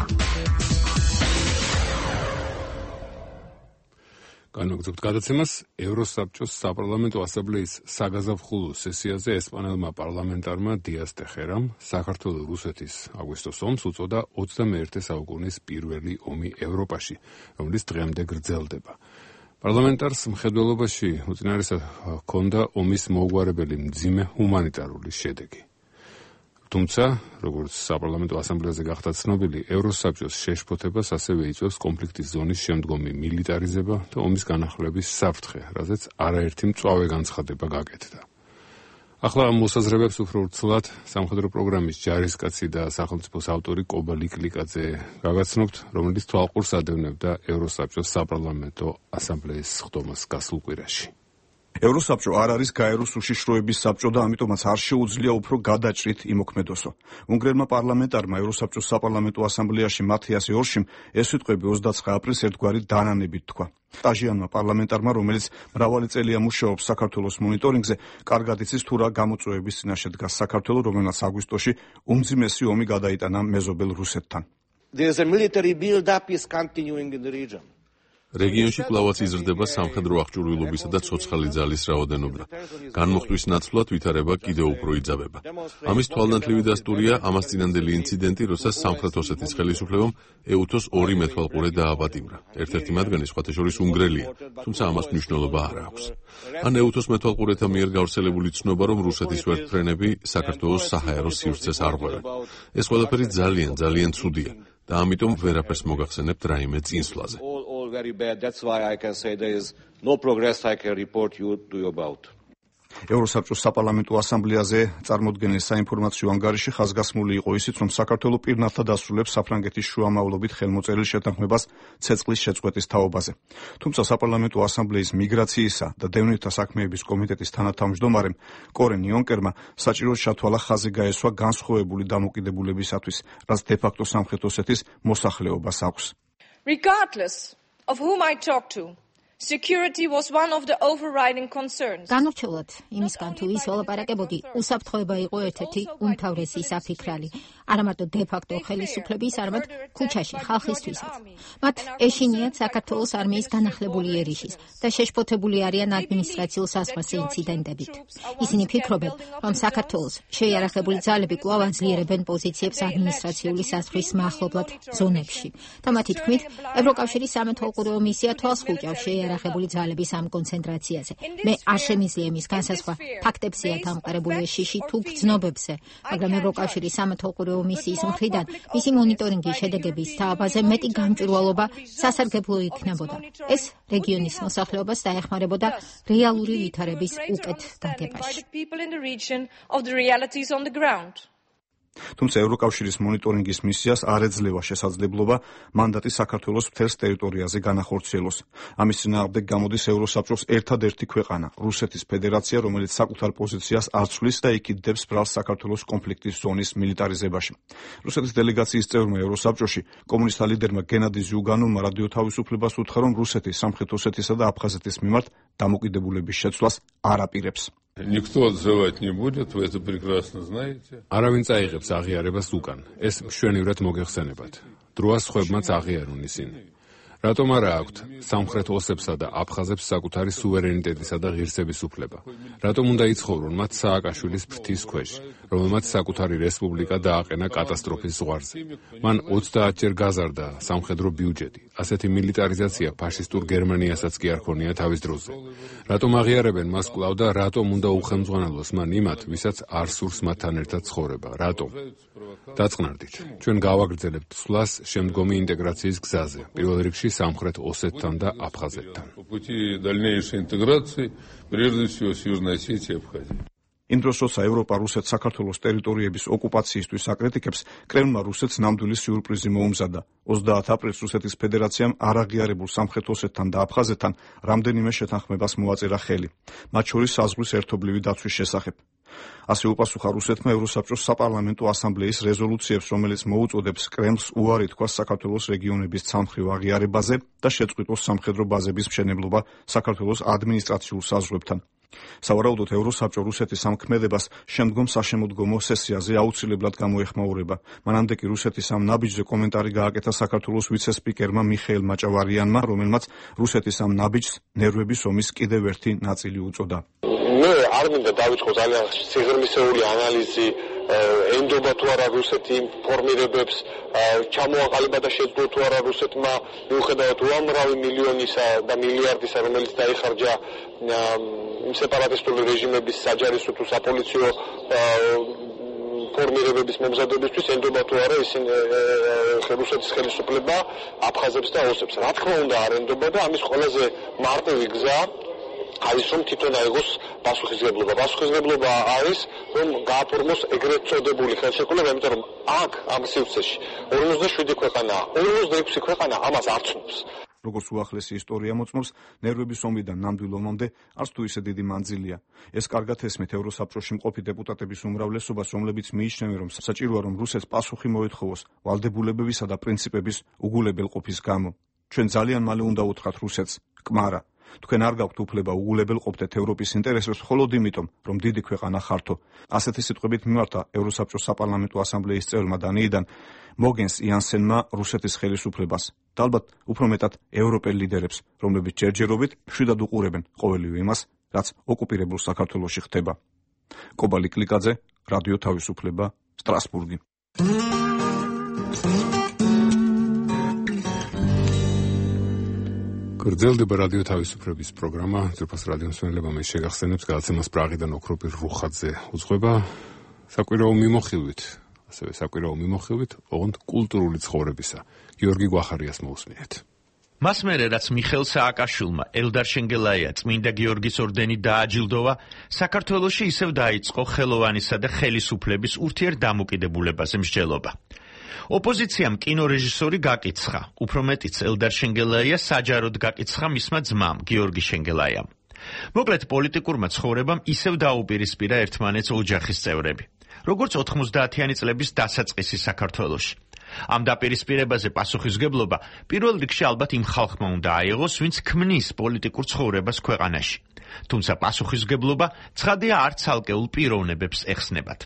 განვაგრძობთ გადაცემას ევროსაბჭოს საპარლამენტო ასამბლეის საგაზაფხულო სესიაზე ესპანელმა პარლამენტარმა დიას დე ხერამ საქართველოს რუსეთის აგვისტოს ომს უწოდა ოცდამეერთე საუკუნის პირველი ომი ევროპაში, რომელიც დღემდე გრძელდება. პარლამენტარს მხედველობაში უწინარესად ჰქონდა ომის მოუგვარებელი მძიმე ჰუმანიტარული შედეგი. თუმცა, როგორც საპარლამენტო ასამბლეაზე გახდა ცნობილი, ევროსაბჭოს შეშფოთებას ასევე იწვევს კონფლიქტის ზონის შემდგომი მილიტარიზება და ომის განახლების საფრთხე, რაზეც არაერთი მწვავე განცხადება გაკეთდა. ახლა ამ მოსაზრებებს უფრო ვრცლად სამხედრო პროგრამის ჯარისკაცი და სახელმწიფოს ავტორი კობა ლიკლიკაძე გაგაცნობთ, რომელიც თვალყურს ადევნებდა ევროსაბჭოს საპარლამენტო ასამბლეის სხდომას გასულ კვირაში. ევროსაბჭო არ არის გაეროს უშიშროების საბჭო და ამიტომაც არ შეუძლია უფრო გადაჭრით იმოქმედოსო. უნგრელმა პარლამენტარმა ევროსაბჭოს საპარლამენტო ასამბლეაში მათიას ორშიმ ეს სიტყვები ოცდაცხრა აპრილს ერთგვარი დანანებით თქვა. სტაჟიანმა პარლამენტარმა, რომელიც მრავალი წელია მუშაობს საქართველოს მონიტორინგზე, კარგად იცის თუ რა გამოწვევების წინაშე დგას საქართველო, რომელსაც აგვისტოში უმძიმესი ომი გადაიტანა მეზობელ რუსეთთან. რეგიონში კვლავაც იზრდება სამხედრო აღჭურვილობისა და ცოცხალი ძალის რაოდენობა. განმუხტვის ნაცვლად ვითარება კიდევ უფრო იძაბება. ამის თვალნათლივი დასტურია ამას წინანდელი ინციდენტი, როცა სამხრეთ ოსეთის ხელისუფლებამ ეუთოს ორი მეთვალყურე დააპატიმრა. ერთ-ერთი მათგანი სხვათა შორის უნგრელია, თუმცა ამას მნიშვნელობა არ აქვს. ან ეუთოს მეთვალყურეთა მიერ გავრცელებული ცნობა, რომ რუსეთის ვერტმფრენები საქართველოს საჰაერო სივრცეს არღვევენ. ეს ყველაფერი ძალიან, ძალიან ცუდია და ამიტომ ვერაფერს მოგახსენებთ რაიმე წინსვლაზე. Very bad. That's why I can say there is no progress I can report you to you about. ევროსაბჭოს საპარლამენტო ასამბლეაზე წარმოდგენილ საინფორმაციო ანგარიში ხაზგასმული იყო ისიც, რომ საქართველო პირნათლად ასრულებს საფრანგეთის შუამავლობით ხელმოწერილ შეთანხმებას ცეცხლის შეწყვეტის თაობაზე. თუმცა საპარლამენტო ასამბლეის მიგრაციისა და დევნილთა საქმეების კომიტეტის თანათავმჯდომარემ კორენ იონკერმა საჭიროდ ჩათვალა ხაზი გაესვა განსხვავებული დამოკიდებულებისათვის, რაც დე-ფაქტო სამხრეთ ოსეთის მოსახლეობას აქვს. Regardless of whom I talk to, security was one of the overriding concerns. განურჩევლად იმისგან თუ ის ველაპარაკებოდი, უსაფრთხოება იყო ერთ-ერთი უმთავრესი საფიქრალი. არა მარტო დე-ფაქტო ხელისუფლების, არამედ ქუჩაში ხალხისთვისაც. მათ ეშინიათ საქართველოს არმიის განახლებული ერიშის და შეშფოთებული არიან ადმინისტრაციულ საზღვარზე ინციდენტებით. ისინი ფიქრობენ, რომ საქართველოს შეიარაღებული ძალები კვლავ აძლიერებენ პოზიციებს ადმინისტრაციული საზღვრის მახლობლად ზონებში. და მათი თქმით, ევროკავშირის სამეთვალყურეო მისია თვალს ხუჭავს შეიარაღებული ძალების ამ კონცენტრაციაზე. მე არ შემიძლია იმის განსაზღვრა ფაქტებზეა დამყარებული ეს შიში თუ გრძნობებზე, მაგრამ ევროკავშირის სამეთვალყურეო მისიის მხრიდან მისი მონიტორინგის შედეგების თაობაზე მეტი გამჭვირვალობა სასარგებლო იქნებოდა. ეს რეგიონის მოსახლეობას დაეხმარებოდა რეალური ვითარების უკეთ გაგებაში. თუმცა ევროკავშირის მონიტორინგის მისიას არ ეძლევა შესაძლებლობა მანდატი საქართველოს მთელს ტერიტორიაზე განახორციელოს. ამის წინააღმდეგ გამოდის ევროსაბჭოს ერთადერთი ქვეყანა, რუსეთის ფედერაცია, რომელიც საკუთარ პოზიციას არ ცვლის და იკიდებს ბრალს საქართველოს კონფლიქტის ზონის მილიტარიზებაში. რუსეთის დელეგაციის წევრმა ევროსაბჭოში კომუნისტთა ლიდერმა გენადი ზიუგანოვმა რადიო თავისუფლებას უთხრა, რომ რუსეთი სამხრეთ ოსეთისა და აფხაზეთის მიმართ დამოკიდებულების შეცვლას არ აპირებს. Никто отзывать не будет, вы это прекрасно знаете. არავინ წაიღებს აღიარებას უკან. ეს მშვენივრად მოგეხსენებათ. დროას ხვებმაც აღიარონ ისინი. რატომ არა აქვთ სამხრეთ ოსებსა და აფხაზებს საკუთარი სუვერენიტეტისა და ღირსების უფლება? რატომ უნდა იცხოვრონ მათ სააკაშვილის ფრთის ქვეშ, რომელმაც საკუთარი რესპუბლიკა დააყენა კატასტროფის ზღვარზე? მან ოცდაათჯერ გაზარდა სამხედრო ბიუჯეტი. ასეთი მილიტარიზაცია ფაშისტურ გერმანიასაც კი არ ქონია თავის დროზე. რატომ აღიარებენ მას კვლავ და რატომ უნდა უხელმძღვანელოს მან იმათ, ვისაც არ სურს მათთან ერთად ცხოვრება? რატომ? დაწყნარდით. ჩვენ გავაგრძელებთ სვლას შემდგომი ინტეგრაციის გზაზე, პირველ რიგში სამხრეთ ოსეთთან და აფხაზეთთან. იმ დროს, როცა ევროპა რუსეთს საქართველოს ტერიტორიების ოკუპაციისთვის აკრიტიკებს, კრემლმა რუსეთს ნამდვილი სიურპრიზი მოუმზადა. ოცდაათი აპრილს რუსეთის ფედერაციამ არაღიარებულ სამხრეთ ოსეთთან და აფხაზეთთან რამდენიმე შეთანხმებას მოაწერა ხელი, მათ შორის საზღვრის ერთობლივი დაცვის შესახებ. ასე უპასუხა რუსეთმა ევროსაბჭოს საპარლამენტო ასამბლეის რეზოლუციებს, რომელიც მოუწოდებს კრემლს უარი თქვას საქართველოს რეგიონების ცალმხრივ აღიარებაზე და შეწყვიტოს სამხედრო ბაზების მშენებლობა საქართველოს ადმინისტრაციულ საზღვრებთან. სავარაუდოდ ევროსაბჭო რუსეთის ამ ქმედებას შემდგომ საშემოდგომო სესიაზე აუცილებლად გამოეხმაურება. მანამდე კი რუსეთის ამ ნაბიჯზე კომენტარი გააკეთა საქართველოს ვიცე-სპიკერმა მიხეილ მაჭავარიანმა, რომელმაც რუსეთის ამ ნაბიჯს ნერვების ომის კიდევ ერთი ნაწილი უწოდა. მე არ მინდა დავიწყო ძალიან სიღრმისეული ანალიზი ენდობა თუ არა რუსეთი ფორმირებებს, ჩამოაყალიბა და შეძლო თუ არა რუსეთმა მიუხედავად უამრავი მილიონისა და მილიარდისა, რომელიც დაიხარჯა სეპარატისტული რეჟიმების საჯარისო თუ საპოლიციო ფორმირებების მომზადებისთვის ენდობა თუ არა ისინი რუსეთის ხელისუფლება აფხაზებს და ოსებს. რა თქმა უნდა არ ენდობა და ამის ყველაზე მარტივი გზა არის რომ თვითონ აიღოს პასუხისმგებლობა. პასუხისმგებლობა არის რომ გააფორმოს ეგრეთ წოდებული ხელშეკრულება, იმიტომ რომ აქ ამ სივრცეში ორმოცდაშვიდი ქვეყანაა, ორმოცდაექვსი ქვეყანა ამას არ ცნობს. როგორც უახლესი ისტორია მოწმობს, ნერვების ომიდან ნამდვილ ომამდე არც თუ ისე დიდი მანძილია. ეს კარგად ესმით ევროსაბჭოში მყოფი დეპუტატების უმრავლესობას, რომლებიც მიიჩნევენ, რომ საჭიროა რომ რუსეთს პასუხი მოეთხოვოს ვალდებულებებისა და პრინციპების უგულებელყოფის გამო. ჩვენ ძალიან მალე უნდა უთხრათ რუსეთს: კმარა, თქვენ არ გაქვთ უფლება უგულებელყოფდეთ ევროპის ინტერესებს მხოლოდ იმიტომ, რომ დიდი ქვეყანა ხართო. ასეთი სიტყვებით მიმართა ევროსაბჭოს საპარლამენტო ასამბლეის წევრმა დანიიდან მოგენს იანსენმა რუსეთის ხელისუფლებას და ალბათ უფრო მეტად ევროპელ ლიდერებს, რომლებიც ჯერჯერობით მშვიდად უყურებენ ყოველივე იმას, რაც ოკუპირებულ საქართველოში ხდება. კობალი კლიკაძე, რადიო თავისუფლება, სტრასბურგი. გრძელდება რადიო თავისუფლების პროგრამა. ძვირფას რადიო მსმენელებმა მე შეგახსენებს გადაცემას პრაღიდან ოქროპირ რუხაძე უძღვება საკვირაო მიმოხილვით, ასევე საკვირაო მიმოხილვით ოღონდ კულტურული ცხოვრებისა. გიორგი გვახარიას მოусმინეთ. მას მერე რაც მიხეილ სააკაშვილმა ელდარ შენგელაია წმინდა გიორგის ორდენი დააჯილდოვა, საქართველოში ისევ დაიწყო ხელოვანისა და ხელისუფლების ურთიერთდამოკიდებულებაზე მსჯელობა. ოპოზიციამ კინორეჟისორი გაკიცხა, უფრო მეტიც ელდარ შენგელაია საჯაროდ გაკიცხა მისმა ძმამ გიორგი შენგელაიამ. მოკლედ პოლიტიკურმა ცხოვრებამ ისევ დაუპირისპირა ერთმანეთს ოჯახის წევრები, როგორც ოთხმოცდაათიანი წლების დასაწყისი საქართველოში. ამ დაპირისპირებაზე პასუხისმგებლობა პირველ რიგში ალბათ იმ ხალხმა უნდა აიღოს, ვინც ქმნის პოლიტიკურ ცხოვრებას ქვეყანაში. თუმცა პასუხისმგებლობა ცხადია არ ცალკეულ პიროვნებებს ეხსნებათ.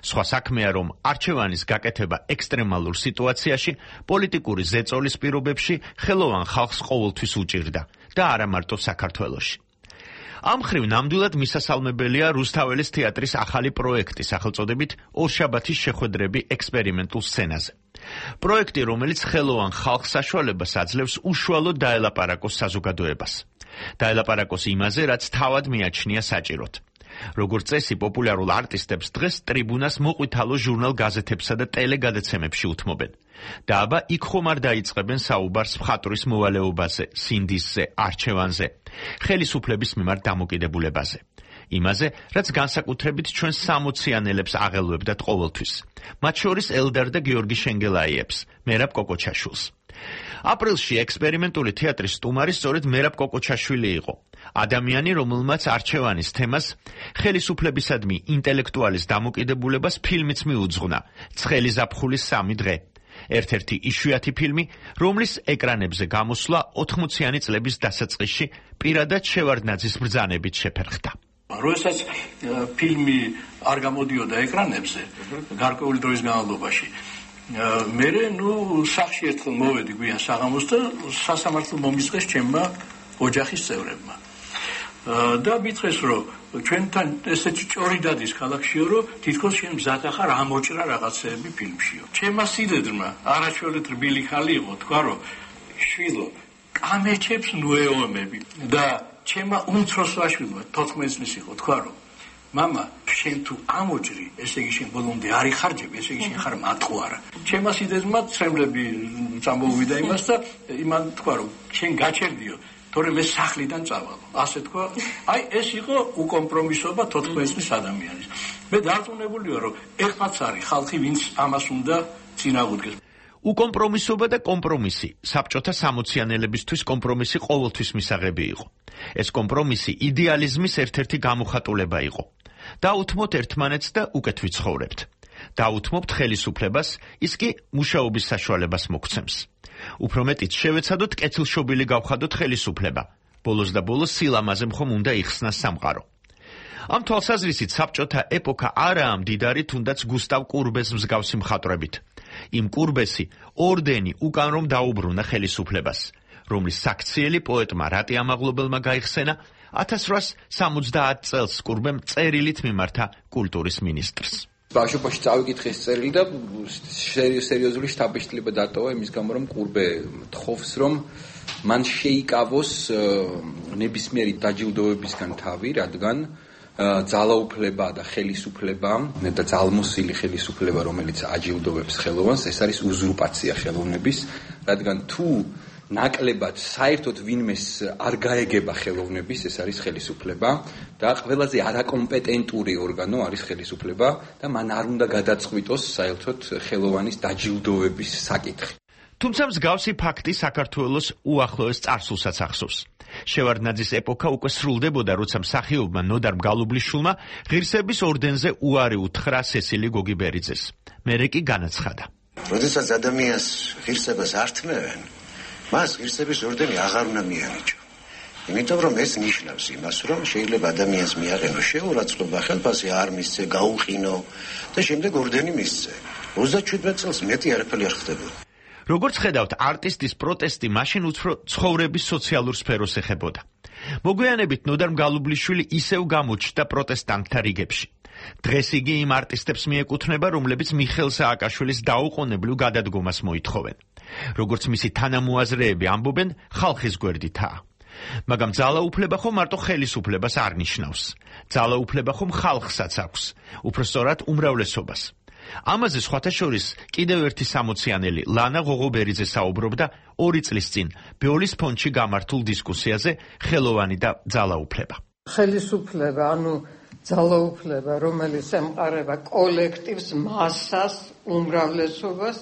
სხვა საქმეა, რომ არჩევანის გაკეთება ექსტრემალურ სიტუაციაში, პოლიტიკური ზეწოლის პირობებში ხელოვან ხალხს ყოველთვის უჭირდა და არა მარტო საქართველოში. ამ მხრივ ნამდვილად მისასალმებელია რუსთაველის თეატრის ახალი პროექტი სახელწოდებით ორშაბათის შეხვედრები ექსპერიმენტულ სცენაზე. პროექტი, რომელიც ხელოვან ხალხს საშუალებას აძლევს უშუალოდ დაელაპარაკოს საზოგადოებას. დაელაპარაკოს იმაზე, რაც თავად მიაჩნია საჭიროდ. როგორც წესი, პოპულარულ არტისტებს დღეს ტრიბუნას მოყვითალო ჟურნალ-გაზეთებსა და ტელეგადაცემებში უთმობენ. და აბა იქ ხომ არ დაიწყებენ საუბარს მხატვრის მოვალეობაზე, სინდისზე, არჩევანზე, ხელისუფლების მიმართ დამოკიდებულებაზე. იმაზე, რაც განსაკუთრებით ჩვენ სამოციანელებს აღელვებდათ ყოველთვის. მათ შორის ელდარ და გიორგი შენგელაიებს, მერაბ კოკოჩაშვილს. აპრილში ექსპერიმენტული თეატრის სტუმარი სწორედ მერაბ კოკოჩაშვილი იყო. ადამიანი, რომელმაც არჩევანის თემას ხელისუფლებისადმი ინტელექტუალის დამოკიდებულებას ფილმიც მიუძღვნა, ცხელი ზაფხულის სამი დღე. ერთ-ერთი იშვიათი ფილმი, რომლის ეკრანებზე გამოსვლა ოთხმოციანი წლების დასაწყისში პირადად შევარდნაძის ბრძანებით შეფერხდა. როდესაც ფილმი არ გამოდიოდა ეკრანებზე გარკვეული დროის განმავლობაში, მე ნუ სახში ერთხელ მოვედი გვიან საღამოს და სასამართლო მომიწყეს ჩემმა ოჯახის წევრებმა. და მითხრეს, რომ ჩვენთან ესეთი ჭორი დადის ქალაქშიო, რომ თითქოს შენ მზად ახარ ამოჭრა რაღაცეები ფილმშიო. ჩემმა სიდედრმა არაჩვეულით რბილი ხალი იყო, თქვა, რომ შვილო, კამეჩებს ნუეომები და ჩემმა უმცროს ვაშვილმა თოთხმეტი წლის იყო, თქვა, რომ მამა, შენ თუ ამოჭრი, ესე იგი შენ ბოლომდე არ იხარჯები, ესე იგი შენ ხარ მატყუარა. ჩემმა სიდედრმა ცრემლები წამოვიდა იმას და იმან თქვა, რომ შენ გაჩერდიო, თორემ ეს სახლიდან წავალო. ასე თქვა, აი ეს იყო უკომპრომისობა თოთხმეტი წლის ადამიანის. მე დარწმუნებულია, რომ ეხლაც არის ხალხი, ვინც ამას უნდა წინააღმდეგეს. უკომპრომისობა და კომპრომისი საბჭოთა სამოციანელებისთვის კომპრომისი ყოველთვის მისაღები იყო. ეს კომპრომისი იდეალიზმის ერთ-ერთი გამოხატულება იყო. დაუთმოთ ერთმანეთს და უკეთ ვიცხოვრებთ. დაუთმობთ ხელისუფლებას, ის კი მუშაობის საშუალებას მოგცემს. უფრო მეტიც შევეცადოთ კეთილშობილი გავხადოთ ხელისუფლება. ბოლოს და ბოლოს სილამაზე მხომ უნდა იხსნას სამყარო. ამ თვალსაზრისით საბჭოთა ეპოქა არაა მდიდარი თუნდაც გუსტავ კურბეს მსგავსი მხატვრებით. იმ კურბესი ორდენი უკან რომ დაუბრუნა ხელისუფლებას, რომლის საქციელი პოეტმა რატი ამაღლობელმა გაიხსენა ათას რვაას სამოცდაათ წელს კურბემ წერილით მიმართა კულტურის მინისტრს. ბავშვობაში წავიკითხე ეს წერილი და სერიოზული შთაბეჭდილება დატოვა იმის გამო, რომ კურბე თხოვს, რომ მან შეიკავოს ნებისმიერი დაჯილდოებისგან თავი, რადგან ძალაუფლება და ხელისუფლება და ძალმოსილი ხელისუფლება, რომელიც აჯილდოვებს ხელოვანს, ეს არის უზურპაცია ხელოვნების, რადგან თუ ნაკლებად საერთოდ ვინმეს არ გაეგება ხელოვნების, ეს არის ხელისუფლება და ყველაზე არაკომპეტენტური ორგანო არის ხელისუფლება და მან არ უნდა გადაწყვიტოს საერთოდ ხელოვანის დაჯილდოების საკითხი. თუმცა მსგავსი ფაქტი საქართველოს უახლოეს წარსულსაც ახსოვს. შევარდნაძის ეპოქა უკვე სრულდებოდა, როცა მსახიობმა ნოდარ მგალობლიშვილმა ღირსების ორდენზე უარი უთხრა სესილი გოგიბერიძეს. მერე კი განაცხადა. როდესაც ადამიანს ღირსებას არ თმევენ, მას ღირსების ორდენი აღარ უნდა მიანიჭო. იმიტომ რომ ეს ნიშნავს იმას, რომ შეიძლება ადამიანს მიაყენო შეურაცხყოფა, ხელფასი არ მისცე, გაუყინო და შემდეგ ორდენი მისცე. ოცდაშვიდმეტ წელს მეტი არაფერი არ ხდებოდა. როგორც ხედავთ, არტისტის პროტესტი მაშინ უფრო ცხოვრების სოციალურ სფეროს ეხებოდა. მოგვიანებით ნოდარ მგალობლიშვილი ისევ გამოჩნდა პროტესტანტთა რიგებში. დღეს იგი იმ არტისტებს მიეკუთვნება, რომლებიც მიხეილ სააკაშვილის დაუყოვნებლივ გადადგომას მოითხოვენ. როგორც მისი თანამოაზრეები ამბობენ, ხალხის გვერდითაა. მაგრამ ძალაუფლება ხომ მარტო ხელისუფლებას არ ნიშნავს. ძალაუფლება ხომ ხალხსაც აქვს, უფრო სწორად უმრავლესობას. ამაზე სხვათა შორის კიდევ ერთი სამოციანელი ლანა ღოღობერიძე საუბრობდა ორი წლის წინ ბეოლის ფონდში გამართულ დისკუსიაზე ხელოვანი და ძალაუფლება. ხელისუფლება, ანუ ძალაუფლება, რომელიც ემყარება კოლექტივს, მასას, უმრავლესობას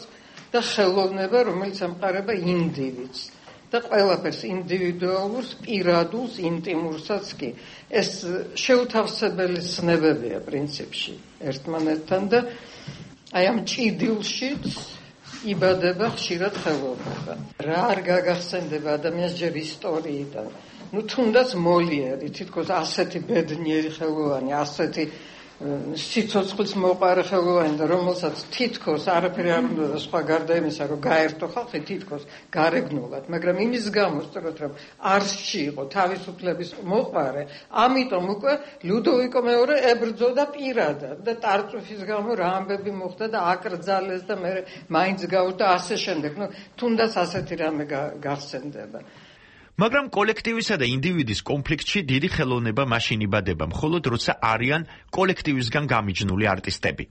და ხელოვნება, რომელიც ემყარება ინდივიდს და ყველაფერს ინდივიდუალურს, პირადულს, ინტიმურსაც კი. ეს შეუთავსებელი ცნებებია პრინციპში ერთმანეთთან და აი ამ ჭიდილშიც იბადება ხშირად ხელოვნება. რა არ გაგახსენდება ადამიანს ჯერ ისტორიიდან. ნუ თუნდაც მოლიერი, თითქოს ასეთი ბედნიერი ხელოვანი, ასეთი სიცოცხლის მოყარე ხელოვანი და რომელსაც თითქოს არაფერი არ უნდა და სხვა გარდა იმისა, რომ გაერთო ხალხი თითქოს გარეგნულად, მაგრამ იმის გამო სწორად რომ არსში იყო თავისუფლების მოყარე, ამიტომ უკვე ლუდოვიკო მეორე ებრძოდა პირადად და ტარწუფის გამო რა ამბები მოხდა და აკრძალეს და მე მაინც გავდა ასე შემდეგ. ნუ თუნდაც ასეთი რამე გახსენდება. მაგრამ კოლექტივისა და ინდივიდის კონფლიქტში დიდი ხელოვნება მაშინ იბადება, მხოლოდ როცა არიან კოლექტივისგან გამიჯნული არტისტები.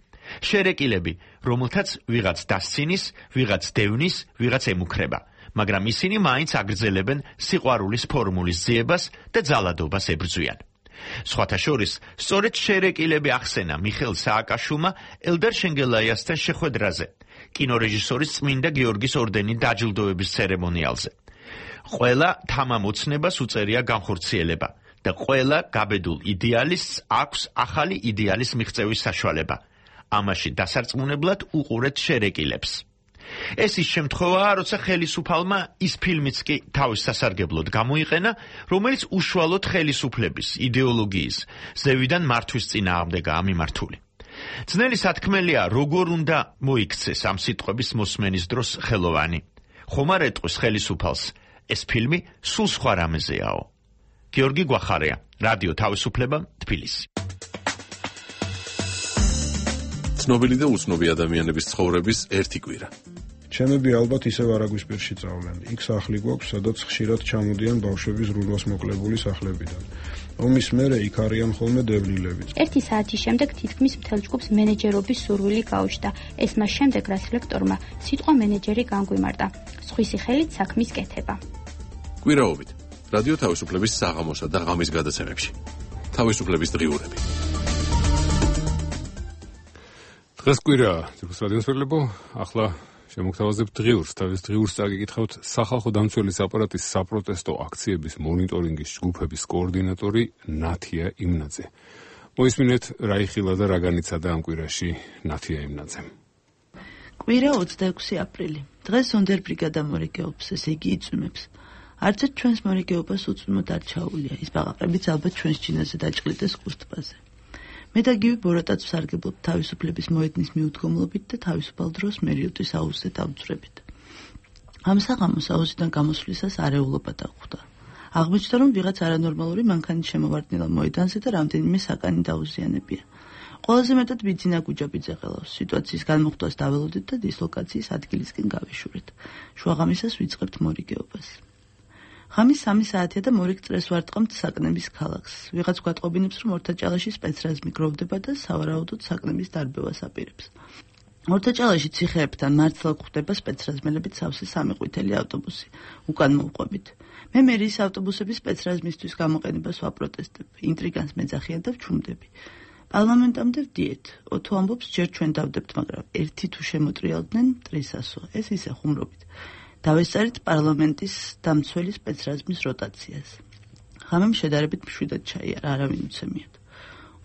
შერეკილები, რომელთაც ვიღაც დასცინის, ვიღაც დევნის, ვიღაც ემუქრება, მაგრამ ისინი მაინც აგრძელებენ სიყვარულის ფორმულის ძიებას და ძალადობას ებრძვიან. სხვათა შორის, სწორედ შერეკილები ახსენა მიხეილ სააკაშვილმა ელდარ შენგელაიასთან შეხვედრაზე, კინორეჟისორის წმინდა გიორგის ორდენით დაჯილდოების ცერემონიალზე. ყველა თამამ ოცნებას უწერია განხორციელება და ყველა გაბედულ იდეალისტს აქვს ახალი იდეალის მიღწევის საშუალება. ამაში დასარწმუნებლად უყურეთ შერეკილებს. ეს ის შემთხვევაა, როცა ხელისუფალმა ის ფილმიც კი თავის სასარგებლოდ გამოიყენა, რომელიც უშუალოდ ხელისუფლების, იდეოლოგიის, ზევიდან მართვის წინააღმდეგაა მიმართული. ძნელი სათქმელია, როგორ უნდა მოიქცეს ამ სიტყვების მოსმენის დროს ხელოვანი. ხომ არ ეტყვის ხელისუფალს ეს ფილმი სულ სხვა რამეზეაო. გიორგი გვახარია, რადიო თავისუფლება, თბილისი. ცნობილი და უცნობი ადამიანების ცხოვრების ერთი კვირა. ჩემები ალბათ ისევ არაგვის პირში წავლენ. იქ სახლი გვაქვს, სადაც ხშირად ჩამოდიან ბავშვები ზრუნვას მოკლებული სახლებიდან. ომის მერე იქ არიან ხოლმე დევნილები. ერთი საათის შემდეგ თითქმის მთელ ჯგუფს მენეჯერობის სურვილი გაუჩნდა. ეს მას შემდეგ, რაც ლექტორმა სიტყვა მენეჯერი განგვიმარტა. სხვისი ხელით საქმის კეთება. კვირაობით რადიო თავისუფლების საღამოსა და ღამის გადაცემებში. თავისუფლების დღიურები. დღეს კვირა, ძირფუს რადიოს ფერლებო, ახლა შემოგთავაზებთ დღიურს. თავის დღიურს წაგიკითხავთ სახალხო დამცველის აპარატის საპროტესტო აქციების მონიტორინგის ჯგუფების კოორდინატორი ნათია იმნაძე. მოისმინეთ რა იხილა და რა განიცადა ამ კვირაში ნათია იმნაძემ. კვირა ოცდაექვსი აპრილი. დღეს ზონდერ ბრიგადა მორიგეობს, ესე იგი იწვიმებს. არც ერთ ჩვენს მორიგეობას უწვიმოდ არ ჩაულია. ის ბაყაყებიც ალბათ ჩვენს ჩინაზე დაჭყლიდეს კუსტბაზე. მე და გივი ბოროტაც ვსარგებლობთ თავისუფლების მოედნის მიუდგომლობით და თავისუფალ დროს მერიოტის აუზზე დავძვრებით. ამ საღამოს აუზიდან გამოსვლისას არეულობა დახვდა. აღმოჩნდა, რომ ვიღაც არანორმალური მანქანით შემოვარდნილა მოედანზე და რამდენიმე საკანი დაუზიანებია. ყველაზე მეტად ბიძინა გუჯაბიძე ყელავს. სიტუაციის განმოხტვას დაველოდეთ და დისლოკაციის ადგილისკენ გავიშურეთ. შუაღამისას ვიწყებთ მორიგეობას. ღამის სამი საათია და მორიგ წრეს ვარტყამთ საკნების ქალაქს. ვიღაც გვატყობინებს, რომ ორთაჭალაში სპეცრაზმი გროვდება და სავარაუდოდ საკნების დარბევას აპირებს. ორთაჭალაში ციხეებთან მართლა გვხვდება სპეცრაზმელებით სავსე სამი ყვითელი ავტობუსი. უკან მოვყვებით. მე მერის ავტობუსების სპეცრაზმისთვის გამოყენებას ვაპროტესტებ. ინტრიგანს მეძახიან და ვჩუმდები. პარლამენტამდე ვდიეთ. ოთო ამბობს, ჯერ ჩვენ დავდებთ, მაგრამ ერთი თუ შემოტრიალდნენ მტრისასო. ეს ისე ხუმრობით. დავესწარით პარლამენტის დამცველი სპეცრაზმის როტაციას. ღამემ შედარებით მშვიდად ჩაიარა, არავინ უცემიათ.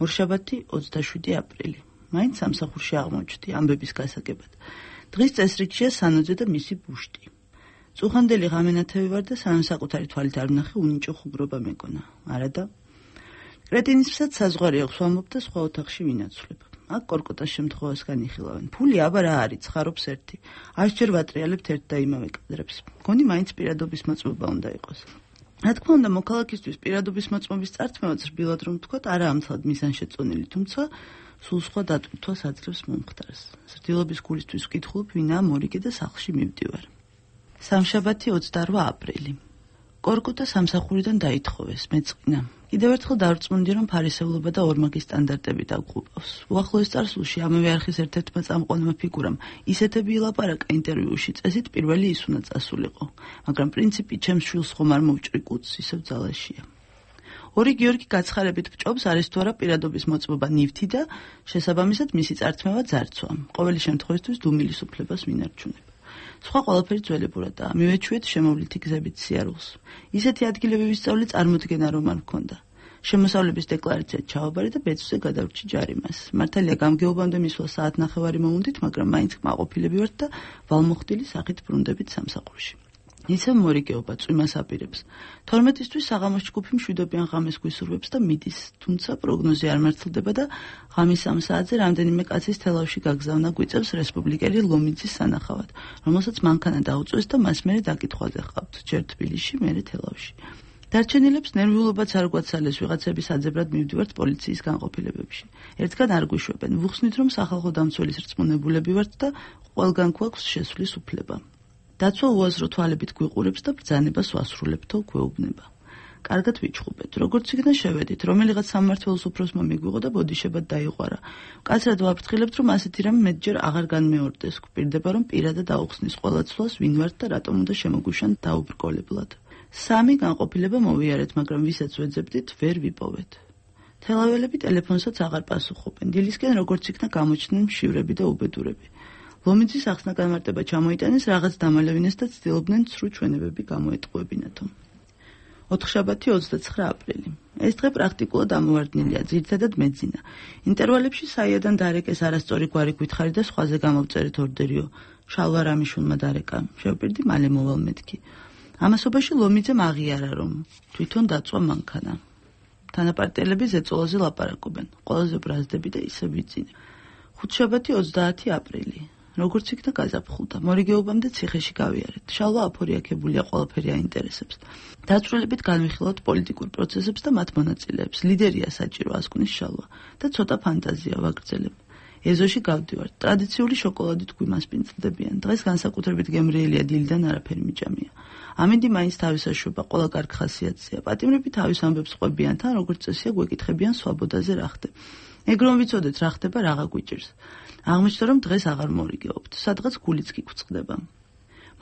ორშაბათი ოცდაშვიდი აპრილი. მაინც სამსახურში აღმოჩნდი ამბების გასაგებად. დღის წესრიგშია სანოძე და მისი ბუშტი. წუხანდელი ღამენათევი ვარ და სანამ საკუთარი თვალით არ ვნახე, უნიჭო ხუბრობა მეკონა. არადა კრეტინისფრად საზღვარი აქვს ვამბობ და სხვა ოთახში ვინაცვლებ. აქ კორკოტას შემთხვევას განიხილავენ. ფული აბა რა არის, ცხარობს ერთი. ასჯერ ვატრიალებთ ერთ და იმავე კადრებს. მგონი მაინც პირადობის მოწმობა უნდა იყოს. რა თქმა უნდა, მოქალაქისთვის პირადობის მოწმობის წარწმევაც რბილად რომ ვთქვათ, არა ამთლად მიზანშეწონილი, თუმცა სულ სხვა დატვირთვას აძლევს მომხდარს. ზრდილობის გულისთვის ვკითხულობ, ვინაა მორიგე და სახლში მივდივარ. სამშაბათი ოცდარვა აპრილი. კორკოტა სამსახურიდან დაითხოვეს, მეწყინა. კიდევ ერთხელ დავრწმუნდი, რომ ფარისევლობა და ორმაგი სტანდარტები დაგუყავს. უახლოეს წარსულში ამავე არხის ერთ-ერთმა წამყვანმა ფიგურამ ისეთები ილაპარაკა ინტერვიუში, წესით პირველი ის უნდა წასულიყო. მაგრამ პრინციპი ჩემს შვილს ხომ არ მოვჭრი კუც, ისევ ძალაშია. ორი გიორგი გაცხარებით ვჭობს, არის თუ არა პირადობის მოწმობა ნივთი და შესაბამისად მისი წარწმევა ძარცვა. ყოველი შემთხვევისთვის დუმილის უფლებას ვინარჩუნებ. სხვა ყველაფერი ძველებურადაა. მივეჩვიეთ შემოვლითი გზებით სიარულს. ისეთი ადგილები ვისწავლე წარმოდგენა რომ არ მქონდა. შემოსავლების დეკლარაცია ჩავაბარე და ბეწვზე გადავრჩი ჯარიმას. მართალია გამგეობამდე მისვლა საათნახევარი მოვუნდით, მაგრამ მაინც კმაყოფილები ვართ და ვალმოხდილი სახით ბრუნდებით სამსახურში. ისევ მორიგეობა წვიმას აპირებს. თორმეტისთვის საღამოს ჯგუფი მშვიდობიან ღამეს გვისურვებს და მიდის, თუმცა პროგნოზი არ მართლდება და ღამის სამ საათზე რამდენიმე კაცის თელავში გაგზავნა გვიწევს რესპუბლიკელი ლომიძის სანახავად, რომელსაც მანქანა დაუწვეს და მას მერე დაკითხვაზე ჰყავთ, ჯერ თბილისში, მერე თელავში. დარჩენილებს ნერვიულობაც არ გვაცალეს, ვიღაცების აძებრად მივდივართ პოლიციის განყოფილებებში. ერთგან არ გვიშვებენ, ვუხსნით რომ სახალხო დამცველის რწმუნებულები ვართ და ყველგან გვაქვს შესვლის უფლება. დაცვა უაზრო თვალებით გვიყურებს და ბრძანებას ვასრულებთო გვეუბნება. კარგად ვიჩხუბეთ, როგორც იქნა შევედით, რომელიღაც სამმართველოს უფროსმა მიგვიღო და ბოდიშებად დაიყვარა. კაცრად ვაფრთხილებთ, რომ ასეთი რამ მეტჯერ აღარ განმეორდეს, გვპირდება, რომ პირადად აუხსნის ყველა ცვლას ვინ ვართ და რატომ უნდა შემოგვიშან დაუბრკოლებლად. სამი განყოფილება მოვიარეთ, მაგრამ ვისაც ვეძებდით, ვერ ვიპოვეთ. თელაველები ტელეფონსაც აღარ პასუხობენ. დილისკენ როგორც იქნა გამოჩნდნენ მშივრები და უბედურები. ლომიძის ახსნა განმარტება ჩამოიტანეს, რაღაც დამალევინეს და ცდილობდნენ ცრუ ჩვენებები გამოეტყუებინათო. ოთხშაბათი ოცდაცხრა აპრილი. ეს დღე პრაქტიკულად ამოვარდნილია, ძირითადად მეძინა. ინტერვალებში საიადან დარეკეს არასწორი გვარი გვითხარი და სხვაზე გამოვწერეთ ორდერიო. შალვა რამიშულმა დარეკა. შევპირდი მალე მოვალ მეთქი. ამასობაში ლომიძემ აღიარა, რომ თვითონ დაწვა მანქანა. თანაპარტიელები ზეწოლაზე ლაპარაკობენ. ყველაზე ბრაზდები და ისე ვიძინე. ხუთშაბათი ოცდაათი აპრილი. როგორც იქნა გაზაფხულდა, მორიგეობამდე ციხეში გავიარეთ. შალვა აფორიაქებულია, ყველაფერი აინტერესებს. დაწვრილებით განვიხილავთ პოლიტიკურ პროცესებს და მათ მონაწილეებს. ლიდერია საჭირო ასკვნის შალვა და ცოტა ფანტაზია ვაგრძელებ. ეზოში გავდივართ. ტრადიციული შოკოლადით გვიმასპინძლდებიან. დღეს განსაკუთრებით გემრიელია, დილიდან არაფერი მიჭამია. ამინდი მაინც თავისაშვება, ყველა კარგ ხასიათზეა. პატიმრები თავის ამბებს ყვებიან, თან როგორც წესია გვეკითხებიან სვაბოდაზე რა ხდება. ეგ რომ ვიცოდეთ რა ხდება, რაღა გვიჭირს. აღმოჩნდა რომ დღეს აღარ მორიგეობთ, სადღაც გულიც კი გვწყდება.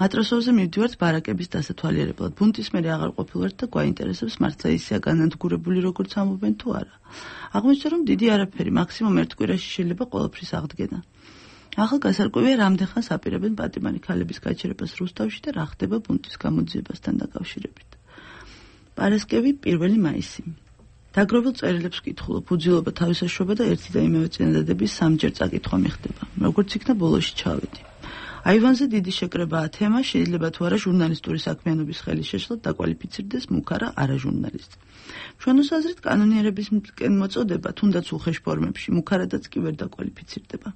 მატროსოვზე მივდივართ ბარაკების დასათვალიერებლად. ბუნტის მერე აღარ ყოფილვართ და გვაინტერესებს მართლა ისეა განადგურებული როგორც ამობენ თუ არა. აღმოჩნდა რომ დიდი არაფერი, მაქსიმუმ ერთ კვირაში შეიძლება ყველაფრის აღდგენა. ახალ გასარკვევია რამდენხანს აპირებენ პატიმარი ქალების გაჩერებას რუსთავში და რა ხდება ბუნტის გამოძიებასთან დაკავშირებით. პარასკევი პირველი მაისი. დაგროვილ წერილებს ვკითხულობ, უძილობა თავისაშობა და ერთი და იმავე წინადადების სამჯერ წაკითხვა მიხდება, როგორც იქნა ბოლოში ჩავედი. აივანზე დიდი შეკრებაა თემა, შეიძლება თუ არა ჟურნალისტური საქმიანობის ხელის შეშლად დაკვალიფიცირდეს მუქარა არაჟურნალისტი. ჩვენოს აზრით კანონიერებისკენ მოწოდება, თუნდაც უხეშ ფორმებში, მუქარადაც კი ვერ დაკვალიფიცირდება.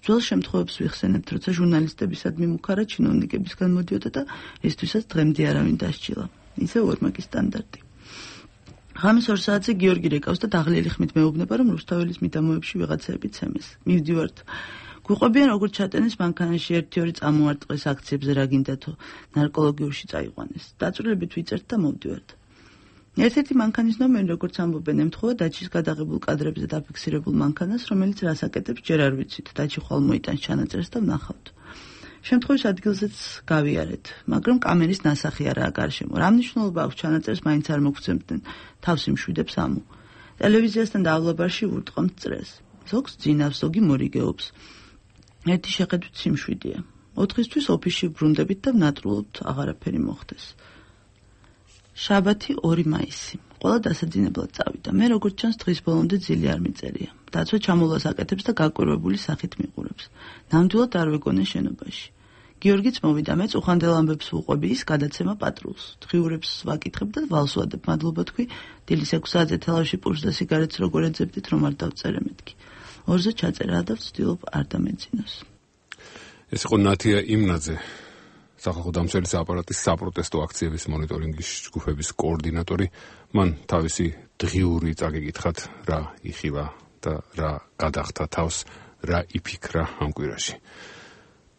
ძველ შემთხვევებს ვიხსენებთ, როცა ჟურნალისტებისადმი მუქარა ჩინოვნიკებისგან მოდიოდა და ისთვისაც დღემდე არავინ დასჯილა. ისე ორმაგი სტანდარტი. ღამის ორ საათზე გიორგი რეკავს და დაღლილი ხმით მეუბნება, რომ რუსთაველის მიდამოებში ვიღაცაები ცემეს. მივდივართ. გვიყვებიან როგორც ჩატენეს მანქანაში ერთი-ორი წამოარტყეს აქციებზე რა გინდათო, ნარკოლოგიურში წაიყვანეს. დაწვრილებით ვიწერთ და მოვდივართ. ერთ-ერთი მანქანის ნომერი, როგორც ამბობენ, ემთხვევა დაჩის გადაღებულ კადრებზე დაფიქსირებულ მანქანას, რომელიც რას აკეთებს, ჯერ არ ვიცით. დაჩი ხვალ მოიტანს ჩანაწერს და ვნახავთ. შემთხვევის ადგილზეც გავიარეთ, მაგრამ კამერის ნასახი არაა გარშემო. რა მნიშვნელობა აქვს ჩანაწერს მაინც არ მოგცემდნენ, თავს იმშვიდებს ამო. ტელევიზიასთან და ავლაბარში ვურტყამთ წრეს. ზოგს ძინავს, ზოგი მორიგეობს. ერთი შეხედვით სიმშვიდეა. ოთხისთვის ოფისში ბრუნდებით და ვნატრულობთ, აღარაფერი მოხდეს. შაბათი ორი მაისი. ყველა დასაძინებლად წავიდა. მე როგორც ჩანს დღის ბოლომდე ძილი არ მიწერია. დაცვა ჩამოლას აკეთებს და გაკვირვებული სახით მიყურებს. ნამდვილად არ ვეგონე შენობაში. გიორგიც მოვიდა, მეც უხანდელ ამბებს ვუყვები, ის გადაცემა პატრულს. დღიურებს ვაკითხებ და ვალს ვადებ, მადლობა თქვი, დილის ექვს საათზე თელავში პურს და სიგარეტს როგორ ეძებდით, რომ არ დავწერე მეთქი. ორზე ჩაწერა და ვცდილობ არ დამეძინოს. ეს იყო ნათია იმნაძე, სახალხო დამცველის აპარატის საპროტესტო აქციების მონიტორინგის ჯგუფების კოორდინატორი. მან თავისი დღიური წაგეკითხათ, რა იხილა და რა გადახდა თავს, რა იფიქრა ამ კვირაში.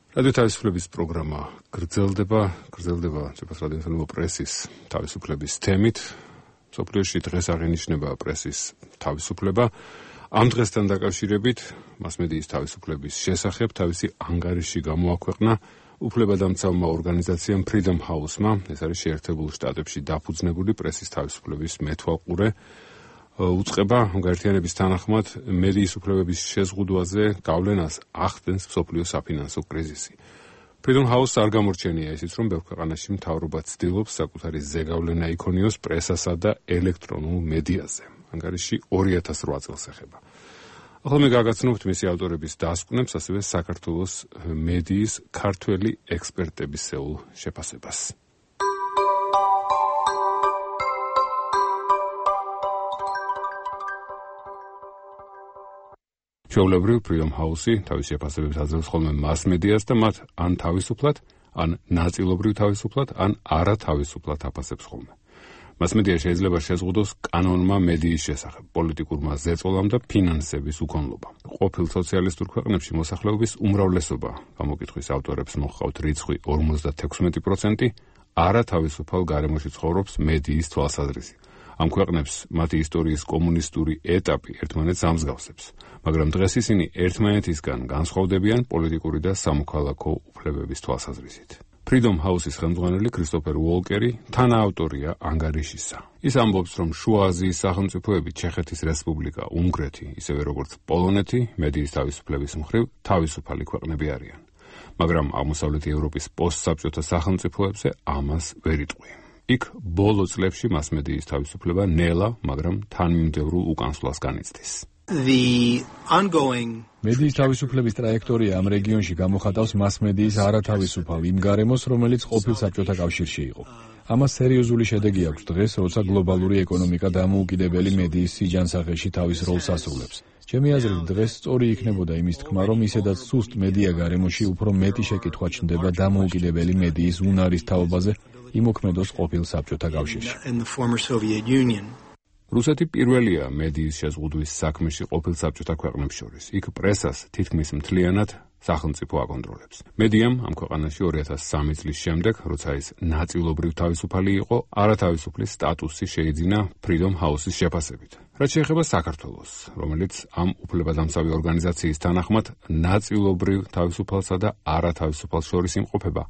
რადიო თავისუფლების პროგრამა გრძელდება, გრძელდება ძვირფას რადიო პრესის თავისუფლების თემით. მსოფლიოში დღეს აღინიშნება პრესის თავისუფლება. ამ დღესთან დაკავშირებით მასმედიის თავისუფლების შესახებ თავისი ანგარიში გამოაქვეყნა უფლებადამცავმა ორგანიზაციამ Freedom House-მა, ეს არის შეერთებულ შტატებში დაფუძნებული პრესის თავისუფლების მეთვალყურე. უწყება გაერთიანების თანახმად მედიის უფლებების შეზღუდვაზე გავლენას ახდენს მსოფლიო საფინანსო კრიზისი. Freedom House არ გამორჩენია ისიც, რომ ბევრ ქვეყანაში მთავრობა ცდილობს საკუთარი ზეგავლენა იქონიოს პრესასა და ელექტრონულ მედიაზე. ანგარიში ორი ათას რვა წელს ეხება. ახლა მე გაგაცნობთ მისი ავტორების დასკვნებს, ასევე საქართველოს მედიის ქართველი ექსპერტებისეულ შეფასებას. ჩვეულებრივ Freedom House-ი თავის შეფასებებს აძლევს ხოლმე მასმედიას და მათ ან თავისუფლად, ან ნაწილობრივ თავისუფლად, ან არათავისუფლად აფასებს ხოლმე. მასმედია შეიძლება შეზღუდოს კანონმა მედიის შესახებ, პოლიტიკურმა ზეწოლამ და ფინანსების უკონლობამ. ყოფილ სოციალისტურ ქვეყნებში მოსახლეობის უმრავლესობა, გამოკითხვის ავტორებს მოჰყავთ რიცხვი ორმოცდათექვსმეტი პროცენტი, არათავისუფალ გარემოში ცხოვრობს მედიის თვალსაზრისით. ამ ქვეყნებს მათი ისტორიის კომუნისტური ეტაპი ერთმანეთს ამსგავსებს, მაგრამ დღეს ისინი ერთმანეთისგან განსხვავდებიან პოლიტიკური და სამოქალაქო უფლებების თვალსაზრისით. Freedom House-ის ხელმძღვანელი კრისტოფერ უოლკერი თანაავტორია ანგარიშისა. ის ამბობს, რომ შუა აზიის სახელმწიფოები, ჩეხეთის რესპუბლიკა, უნგრეთი, ისევე როგორც პოლონეთი, მედიის თავისუფლების მხრივ თავისუფალი ქვეყნები არიან. მაგრამ აღმოსავლეთი ევროპის პოსტსაბჭოთა სახელმწიფოებზე ამას ვერ იტყვი. იქ ბოლო წლებში მასმედიის თავისუფლება ნელა, მაგრამ თანმიმდევრულ უკანსვლას განიცდის. The ongoing მედიის თავისუფლების ტრაექტორია ამ რეგიონში გამოხატავს მასმედიის არათავისუფალ იმ გარემოს, რომელიც ყოფილ საბჭოთა კავშირში იყო. ამას სერიოზული შედეგი აქვს დღეს, როცა გლობალური ეკონომიკა დამოუკიდებელი მედიის სიჯანსაღეში თავის როლს ასრულებს. ჩემი აზრით, დღეს სწორი იქნებოდა იმის თქმა, რომ ისედაც სუსტ მედია გარემოში უფრო მეტი შეკითხვა ჩნდება დამოუკიდებელი მედიის უნარის თაობაზე იმოქმედოს ყოფილ საბჭოთა კავშირში. რუსეთი პირველია მედიის შეზღუდვის საქმეში ყოფილ საბჭოთა ქვეყნებს შორის. იქ პრესას თითქმის მთლიანად სახელმწიფო აკონტროლებს. მედიამ ამ ქვეყანაში ორი ათას სამი წლის შემდეგ, როცა ის ნაწილობრივ თავისუფალი იყო, არათავისუფლის სტატუსი შეიძინა Freedom House-ის შეფასებით. რაც შეეხება საქართველოს, რომელიც ამ უფლებადამცავი ორგანიზაციის თანახმად ნაწილობრივ თავისუფალსა და არათავისუფალს შორის იმყოფება,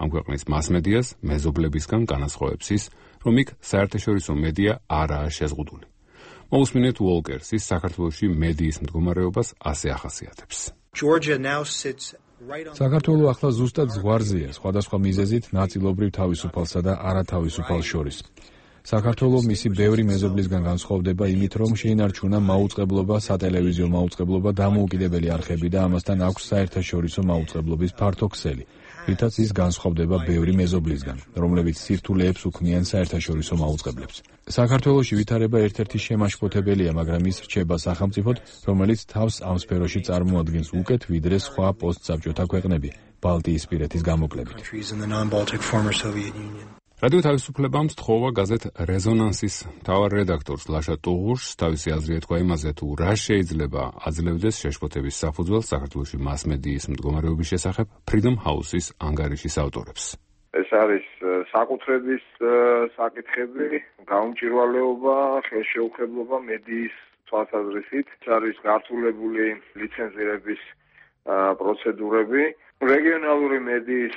ამ ქვეყნის მასმედიას მეზობლებისგან განასხვავებს ის, რომ იქ საერთაშორისო მედია არაა შეზღუდული. მოусმინეთ უოლკერს, ის საქართველოში მედიის მდგომარეობას ასე ახასიათებს. საქართველო ახლა ზუსტად ზღვარზეა, სხვადასხვა მიზეზით ნაწილობრივ თავისუფალსა და არათავისუფალს შორის. საქართველოს მისი ბევრი მეზობლისგან განსხვავდება იმით, რომ შეინარჩუნა მაუწყებლობა, სატელევიზიო მაუწყებლობა, დამოუკიდებელი არხები და ამასთან აქვს საერთაშორისო მაუწყებლობის ფართო ქსელი. რითაც ის განსხვავდება ბევრი მეზობლისგან, რომლებიც სირთულეებს უქმნიან საერთაშორისო მაუწყებლებს. საქართველოში ვითარება ერთ-ერთი შემაშფოთებელია, მაგრამ ის რჩება სახელმწიფოდ, რომელიც თავს ამ სფეროში წარმოადგენს უკეთ ვიდრე სხვა პოსტსაბჭოთა ქვეყნები, ბალტიისპირეთის გამოკლებით. რადიო თავისუფლებამ სთხოვა გაზეთ რეზონანსის მთავარ რედაქტორს ლაშა ტუღუშს თავისი აზრი ეთქვა იმაზე, თუ რა შეიძლება აძლევდეს შეშფოთების საფუძველს საქართველოში მასმედიის მდგომარეობის შესახებ Freedom House-ის ანგარიშის ავტორებს. ეს არის საკუთრების საკითხები, გაუმჭირვალეობა, ხელშეუხებლობა მედიის თვალსაზრისით, ეს არის გართულებული ლიცენზირების პროცედურები. რეგიონალური მედიის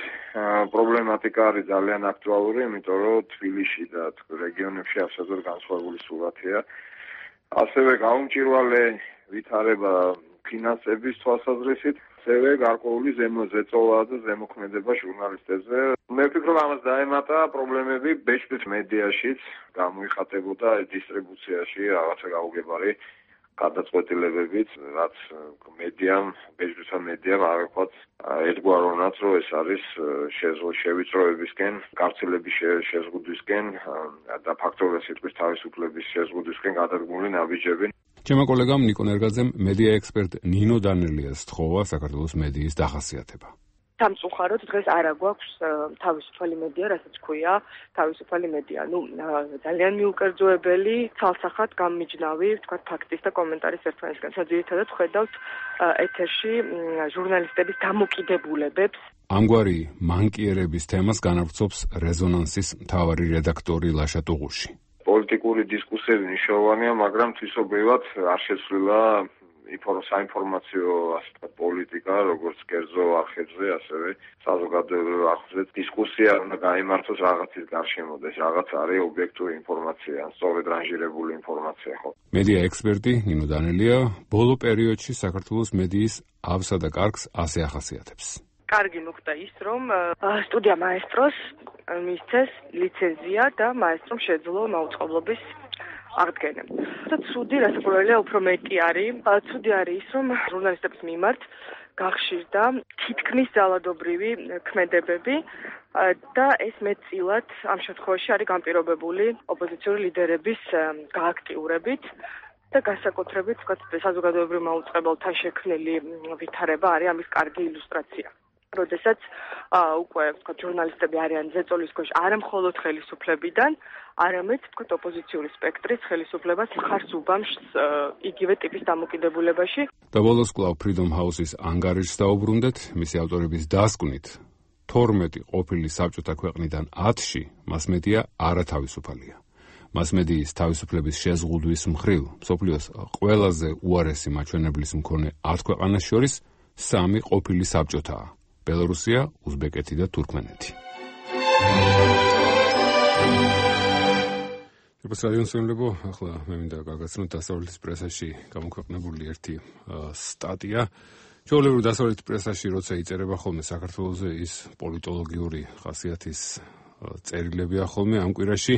პრობლემატიკა არის ძალიან აქტუალური, იმიტომ რომ თბილისში და რეგიონებში absolუტურად განსხვავებული სურათია. ასევე გაუმჭირვალე ვითარება ფინანსების თვალსაზრისით, ასევე გარკვეული ზემოწევა და ზემოქმედება ჟურნალისტებზე. მე ვფიქრობ, ამას დაემატა პრობლემები ბეჭდის მედიაშიც, გამოიხატებოდა დისტრიბუციაში რაღაცა გაუგებარი გადაწყვეტილებებით, რაც მედიამ, ბეჭდვითა მედიამ აღიქვაც ერთგვაროვნად, რომ ეს არის შევიწროებისკენ, გავრცელების შეზღუდვისკენ და ფაქტობრივად სიტყვის თავისუფლების შეზღუდვისკენ გადადგმული ნაბიჯები. ჩემო კოლეგამ ნიკო ნერგაძემ მედია ექსპერტ ნინო დანელიას სთხოვა საქართველოს მედიის დახასიათება. სამწუხაროდ დღეს არ აგვაქვს თავისუფალი მედია, რასაც ქვია თავისუფალი მედია. ნუ ძალიან მიუკერძოებელი, ცალსახად გამმიჯნავი, თქვა ფაქტის და კომენტარის ერთმანეთისგან. ძირითადად ხედავთ ეთერში ჟურნალისტების დამოკიდებულებებს. ამგვარი მანკიერების თემას განავრცობს რეზონანსის მთავარი რედაქტორი ლაშა ტუღუში. პოლიტიკური დისკუსიები მნიშვნელოვანია, მაგრამ თვისობრივად არ შეცვლილა საინფორმაციო პოლიტიკა, როგორც კერძო არხებზე, ასევე საზოგადოებრივ არხებზე დისკუსია უნდა გაიმართოს რაღაცის გარშემო და ეს რაღაც არის ობიექტური ინფორმაცია, სწორედ რანჟირებული ინფორმაცია, ხო? მედია ექსპერტი ნინო დანელია ბოლო პერიოდში საქართველოს მედიის ავსა და კარგს ასე ახასიათებს. კარგი მოხდა ის, რომ სტუდია მაესტროს მისცეს ლიცენზია და მაესტრომ შეძლო მაუწყებლობის აღდგენა. და ცუდი, რასაკვირველია, უფრო მეტი არის. ცუდი არის ის, რომ ჟურნალისტების მიმართ გახშირდა თითქმის ძალადობრივი ქმედებები და ეს მეტწილად ამ შემთხვევაში არის განპირობებული ოპოზიციური ლიდერების გააქტიურებით და განსაკუთრებით, ვთქვათ, საზოგადოებრივ მაუწყებელთან შექმნილი ვითარება არის ამის კარგი ილუსტრაცია. როდესაც უკვე ვთქვათ ჟურნალისტები არიან ზეწოლის ქვეშ არა მხოლოდ ხელისუფლებიდან, არამედ ვთქვათ ოპოზიციური სპექტრის ხელისუფლებას მხარს უბამს იგივე ტიპის დამოკიდებულებაში. და ბოლოს კვლავ Freedom House-ის ანგარიშს დაუბრუნდეთ, მისი ავტორების დასკვნით თორმეტი ყოფილი საბჭოთა ქვეყნიდან ათში მასმედია არათავისუფალია. მასმედიის თავისუფლების შეზღუდვის მხრივ მსოფლიოს ყველაზე უარესი მაჩვენებლის მქონე ათ ქვეყანას შორის სამი ყოფილი საბჭოთაა: ბელორუსია, უზბეკეთი და თურქმენეთი. როგორც რადიოსმენლებო, ახლა მე მინდა გაგაცნოთ დასავლეთის პრესაში გამოქვეყნებული ერთი სტატია. ჩვეულებრივ დასავლეთის პრესაში, როცა იწერება ხოლმე საქართველოზე, ის პოლიტოლოგიური ხასიათის წერილებია ხოლმე. ამ კვირაში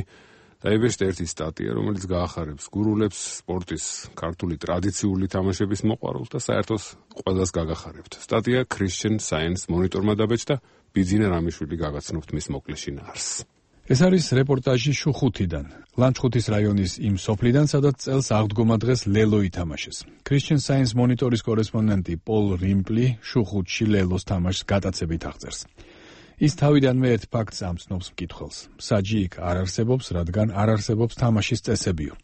დაიბეჭდა ერთი სტატია, რომელიც გაახარებს გურულებს, სპორტის ქართული ტრადიციული თამაშების მოყვარულს და საერთოდ ყველას გაგახარებთ. სტატია Christian Science Monitor-მა დაბეჭდა, ბიძინა რამიშვილი გაგაცნობთ მის მოკლე შინაარსს. ეს არის რეპორტაჟი შუხუთიდან, ლანჩხუთის რაიონის იმ სოფლიდან, სადაც წელს აღდგომა დღეს ლელო ითამაშეს. Christian Science Monitor-ის კორესპონდენტი პოლ რიმპლი შუხუთში ლელოს თამაშს გატაცებით აღწერს. ის თავიდანვე ერთ ფაქტს ამცნობს მკითხველს. საჯი იქ არ არსებობს, რადგან არ არსებობს თამაშის წესებიო.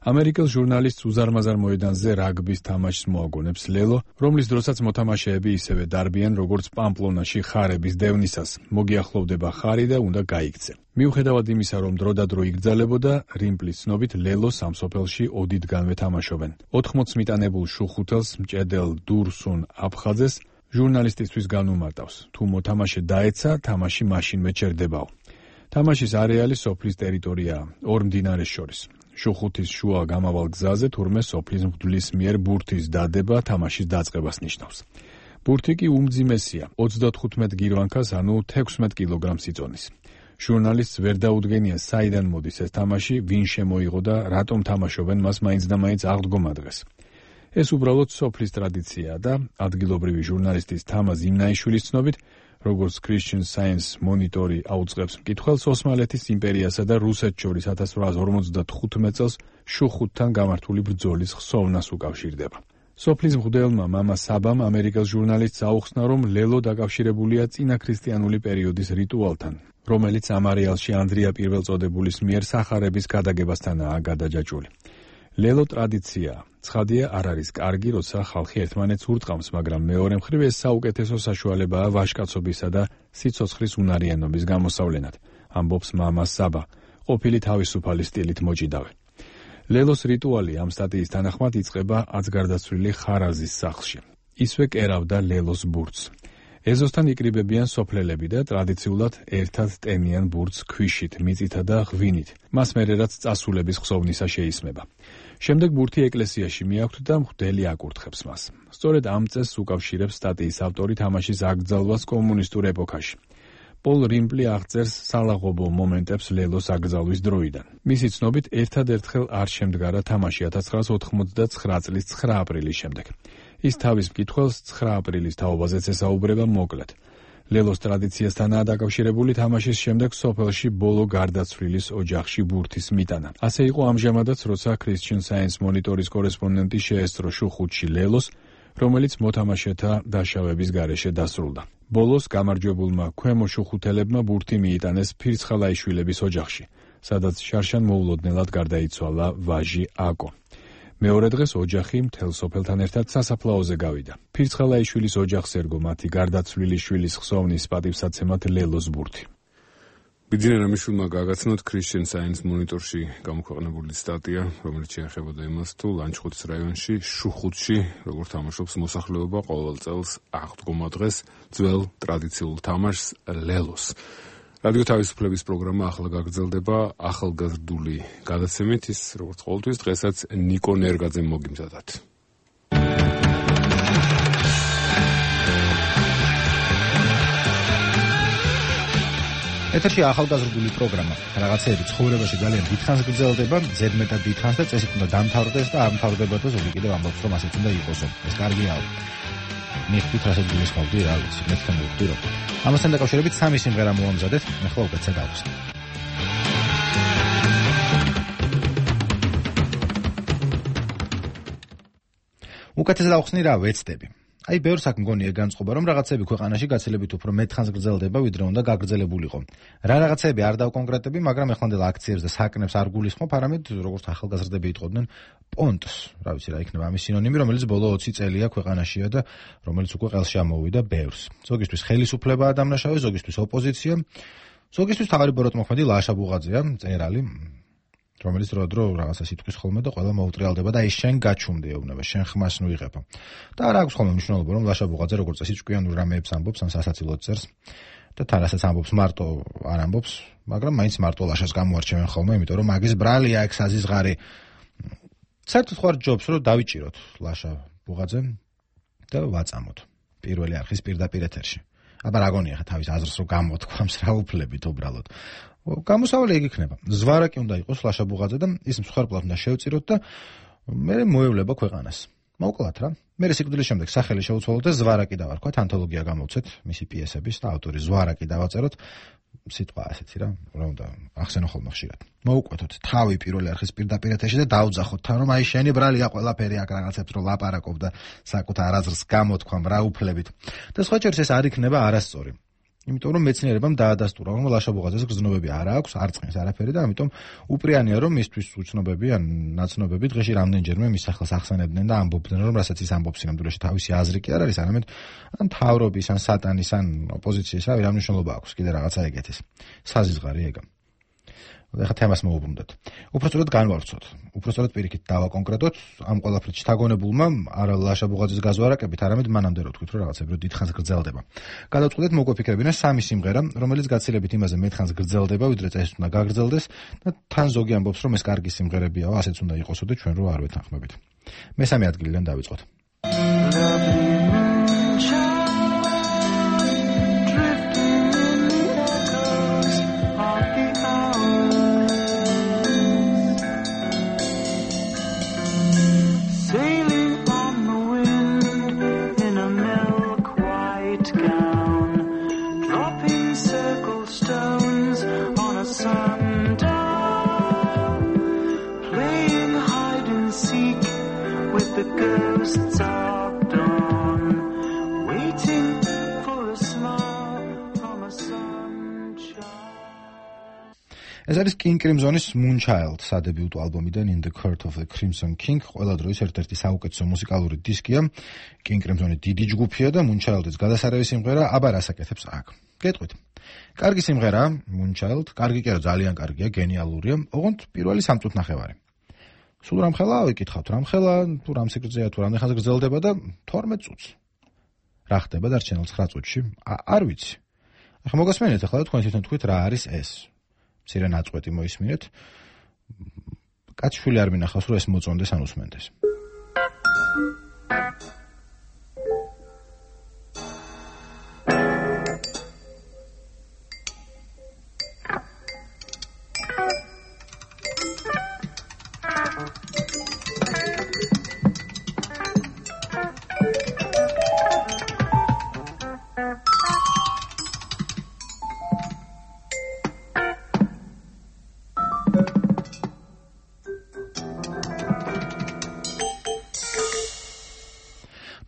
ამერიკელ ჟურნალისტს უზარმაზარ მოედანზე რაგბის თამაშს მოაგონებს ლელო, რომლის დროსაც მოთამაშეები ისევე დარბიან, როგორც პამპლონაში ხარების დევნისას. მოგიახლოვდება ხარი და უნდა გაიქცე. მიუხედავად იმისა, რომ დროდადრო იგრძელებოდა, რიმპლის ცნობით ლელო სამსოფელში ოდითგანვე თამაშობენ. ოთხმოც მიტანებულ შუხუთელს მჭედელ დურსუნ აფხაძეს ჟურნალისტისთვის განუმარტავს. თუ მოთამაშე დაეცა, თამაში მაშინვე ჩერდებაო. თამაშის არეალი სოფლის ტერიტორიაა, ორ მდინარეს შორის. შუხუთის შუა გამავალ გზაზე თურმე სოფლის მღვდლის მიერ ბურთის დადება თამაშის დაწყებას ნიშნავს. ბურთი კი უმძიმესია, ოცდათხუთმეტ გირვანქას, ანუ თექვსმეტ კილოგრამს იწონის. ჟურნალისტს ვერ დაუდგენია საიდან მოდის ეს თამაში, ვინ შემოიღო და რატომ თამაშობენ მას მაინც და მაინც აღდგომა დღეს. ეს უბრალოდ სოფლის ტრადიციაა და ადგილობრივი ჟურნალისტის თამაზ იმნაიშვილის ცნობით, როგორც Christian Science მონიტორი აუწყებს მკითხველს, ოსმალეთის იმპერიასა და რუსეთს შორის ათას რვაას ორმოცდათხუთმეტ წელს შუხუთთან გამართული ბრძოლის ხსოვნას უკავშირდება. სოფლის მღვდელმა მამა საბამ ამერიკელ ჟურნალისტს აუხსნა, რომ ლელო დაკავშირებულია წინაქრისტიანული პერიოდის რიტუალთან, რომელიც ამ არეალში ანდრია პირველწოდებულის მიერ სახარების გადაგებასთანაა გადაჯაჭვული. ლელო ტრადიციაა. ცხადია, არ არის კარგი, როცა ხალხი ერთმანეთს ურტყამს, მაგრამ მეორე მხრივ ეს საუკეთესო საშუალებაა ვაჟკაცობისა და სიცოცხლის უნარიანობის გამოსავლენად, ამბობს მამა საბა, ყოფილი თავისუფალი სტილით მოჭიდავე. ლელოს რიტუალი ამ სტატიის თანახმად იწყება აცგარდაცვლილი ხარაზის სახლში. ისვე კერავდა ლელოს ბურთს. ეზოსთან იკრიბებიან სოფლელები და ტრადიციულად ერთად ტენიან ბურთს ქვიშით, მიწითა და ღვინით. მას მერე რაც წასულების ხსოვნისა შეისმება. შემდეგ ბურთი ეკლესიაში მიაქვთ და მღვდელი აკურთხებს მას. სწორედ ამ წესს უკავშირებს სტატიის ავტორი თამაშის აკრძალვას კომუნისტურ ეპოქაში. პოლ რიმპლი აღწერს სალაღობო მომენტებს ლელოს აკრძალვის დროიდან. მისი ცნობით, ერთადერთხელ არ შემდგარა თამაში ათას ცხრაას ოთხმოცდაცხრა წლის ცხრა აპრილის შემდეგ. ის თავის მკითხველს ცხრა აპრილის თაობაზეც ესაუბრება მოკლედ. ლელოს ტრადიციასთანაა დაკავშირებული თამაშის შემდეგ სოფელში ბოლო გარდაცვლილის ოჯახში ბურთის მიტანა. ასე იყო ამჟამადაც, როცა Christian Science მონიტორის კორესპონდენტი შეესწრო შუხუთში ლელოს, რომელიც მოთამაშეთა დაშავების გარეშე დასრულდა. ბოლოს გამარჯვებულმა ქვემო შუხუთელებმა ბურთი მიიტანეს ფირცხალაიშვილების ოჯახში, სადაც შარშან მოულოდნელად გარდაიცვალა ვაჟი აკო. მეორე დღეს ოჯახი მთელ სოფელთან ერთად სასაფლაოზე გავიდა. ფირცხალაიშვილის ოჯახს ერგო მათი გარდაცვლილი შვილის ხსოვნის პატივსაცემად ლელოს ბურთი. ბიძინა რამიშვილმა გააგაცნოთ Christian Science მონიტორში გამოქვეყნებული სტატია, რომელიც შეეხებოდა იმას, თუ ლანჩხუთის რაიონში შუხუთში როგორ თამაშობს მოსახლეობა ყოველ წელს აღდგომა დღეს ძველ ტრადიციულ თამაშს ლელოს. რადიო თავისუფლების პროგრამა ახლა გაგრძელდება ახალგაზრდული გადაცემით, ის როგორც ყოველთვის დღესაც ნიკო ნერგაძემ მოგიმზადათ. ეთერში ახალგაზრდული პროგრამა. რაღაცეები ცხოვრებაში ძალიან დიდხანს გრძელდება, ზედმეტად დიდხანს და წესით უნდა დამთავრდეს და არ მთავრდებოდა ზოგი კიდევ ამბობს, რომ ასეც უნდა იყოსო. ეს კარგია. მიხდით რასაც გულისხმობდი, რა ვიცი, მე თქვენ მოვხდი რომ. ამასთან დაკავშირებით სამი სიმღერა მოამზადეთ, ახლა უკეთესად ავხსნით. უკეთესად ავხსნი რა ვეცდები. აი, ბევრს აქ მგონია განწყობა, რომ რაღაცები ქვეყანაში გაცილებით უფრო მეტხანს გრძელდება, ვიდრე უნდა გაგრძელებულიყო. რა რაღაცები არ დავკონკრეტები, მაგრამ ეხლანდელ აქციებს და საკნებს არ გულისხმობ, არამედ როგორც ახალგაზრდები იტყოდნენ, პონტს, რა ვიცი რა იქნება ამის სინონიმი, რომელიც ბოლო ოცი წელია ქვეყანაშია და რომელიც უკვე ყელში ამოვიდა ბევრს. ზოგისთვის ხელისუფლებაა დამნაშავე, ზოგისთვის ოპოზიცია, ზოგისთვის თავარი ბოროტმოქმედი ლაშა ბუღაძეა, მწერალი, რომელიც დრო-დრო რაღაცას იტყვის ხოლმე და ყველა მოუტრიალდება და ის შენ გაჩუმდი ეუბნება, შენ ხმას ნუ იღება. და არ აქვს ხოლმე მნიშვნელობა, რომ ლაშა ბუღაძე როგორც წესი ჭკვიანურ რამეებს ამბობს, ან სასაცილოდ წერს და თანასაც ამბობს მარტო არ ამბობს, მაგრამ მაინც მარტო ლაშას გამოარჩევენ ხოლმე, იმიტომ რომ მაგის ბრალია ეგ საზიზღარი. საერთოდ ხარ ჯობს, რომ დავიჭიროთ ლაშა ბუღაძე და ვაწამოთ პირველი არხის პირდაპირ ეთერში. აბა რა გონია ხა თავის აზრს რომ გამოთქვამს რა უფლებით უბრალოდ. გამოსავალი ეგ იქნება. ზვარაკი უნდა იყოს ლაშა ბუღაძე და ის მსხვერპლად უნდა შევწიროთ და მე მოევლება ქვეყანას. მოკლათ რა. მე სიკვდილის შემდეგ სახელი შეუცვალოთ და ზვარაკი დავარქვათ, ანთოლოგია გამოვცეთ მისი პიესების და ავტორი ზვარაკი დავაწეროთ. სიტყვა ასეთი რა, რა უნდა ახსენო ხოლმე ხშირად. მოუკვეთოთ თავი პირველი არხის პირდაპირ ეთერში და დაუძახოთ თან, რომ აი შენი ბრალია ყველაფერი აქ რაღაცებს რო ლაპარაკობ და საკუთარ აზრს გამოთქვამ რა უფლებით. და სხვა შორის ეს არ იქნება არასწორი. იმიტომ რომ მეცნიერებამ დაადასტურა, რომ ლაშა ბუღაძეს გრძნობები არ აქვს, არ წყნის არაფერი და ამიტომ უპრიანია რომ მისთვის უცნობები ან ნაცნობები დღეში რამდენჯერმე მის სახელს ახსენებდნენ და ამბობდნენ, რომ რასაც ის ამბობს სინამდვილეში თავისი აზრი კი არ არის, არამედ ან თავრობის, ან სატანის, ან ოპოზიციის, რავი, რა მნიშვნელობა აქვს კიდე რაღაცა ეგეთის. საზიზღარი ეგა. ეხლა თემას მოუბრუნდეთ. უпростоრად განვავრცოთ. უпростоრად პირიქით დავაკონკრეტოთ ამ ყველაფრის შთაგონებულმა არა ლაშა ბუღაძის გაზვარაკებით, არამედ მანამდე რო თქვით, რომ რაღაცები რო დიდხანს გრძელდება. გადავწყვეტეთ მოგვეფიქრებინა სამი სიმღერა, რომელიც გაცილებით იმაზე მეტხანს გრძელდება, ვიდრე წესით უნდა გაგრძელდეს და თან ზოგი ამბობს, რომ ეს კარგი სიმღერებია, ასეც უნდა იყოსო და ჩვენ რო არ ვეთანხმებით. მესამე ადგილიდან დავიწყოთ. ეს არის King Crimson-ის Moonchild სადებიუტო ალბომიდან In the Court of the Crimson King. ყველა დროის ერთ-ერთი საუკეთესო მუსიკალური დისკია. King Crimson-ი დიდი ჯგუფია და Moonchild-იც გადასარევი სიმღერა, აბა რას აკეთებს აქ? გეტყვით. კარგი სიმღერა, Moonchild, კარგი კი არა, ძალიან კარგია, გენიალურია. ოღონდ პირველი სამ წუთი ნახევარი. სულ რამხელა ვიკითხავთ, რამხელა, თუ რამ სიგრძეა, თუ რამდენ ხანს გრძელდება და თორმეტ წუთს. რა ხდება დარჩენილ ცხრა წუთში? არ ვიცი. ახლა მოგასმენთ ახლა თქვენ თვითონ თქვით რა არის ეს. მცირე ნაწყვეტი მოისმინეთ. კაცშვილი არ მინახავს რომ ეს მოწონდეს ან უსმენდეს.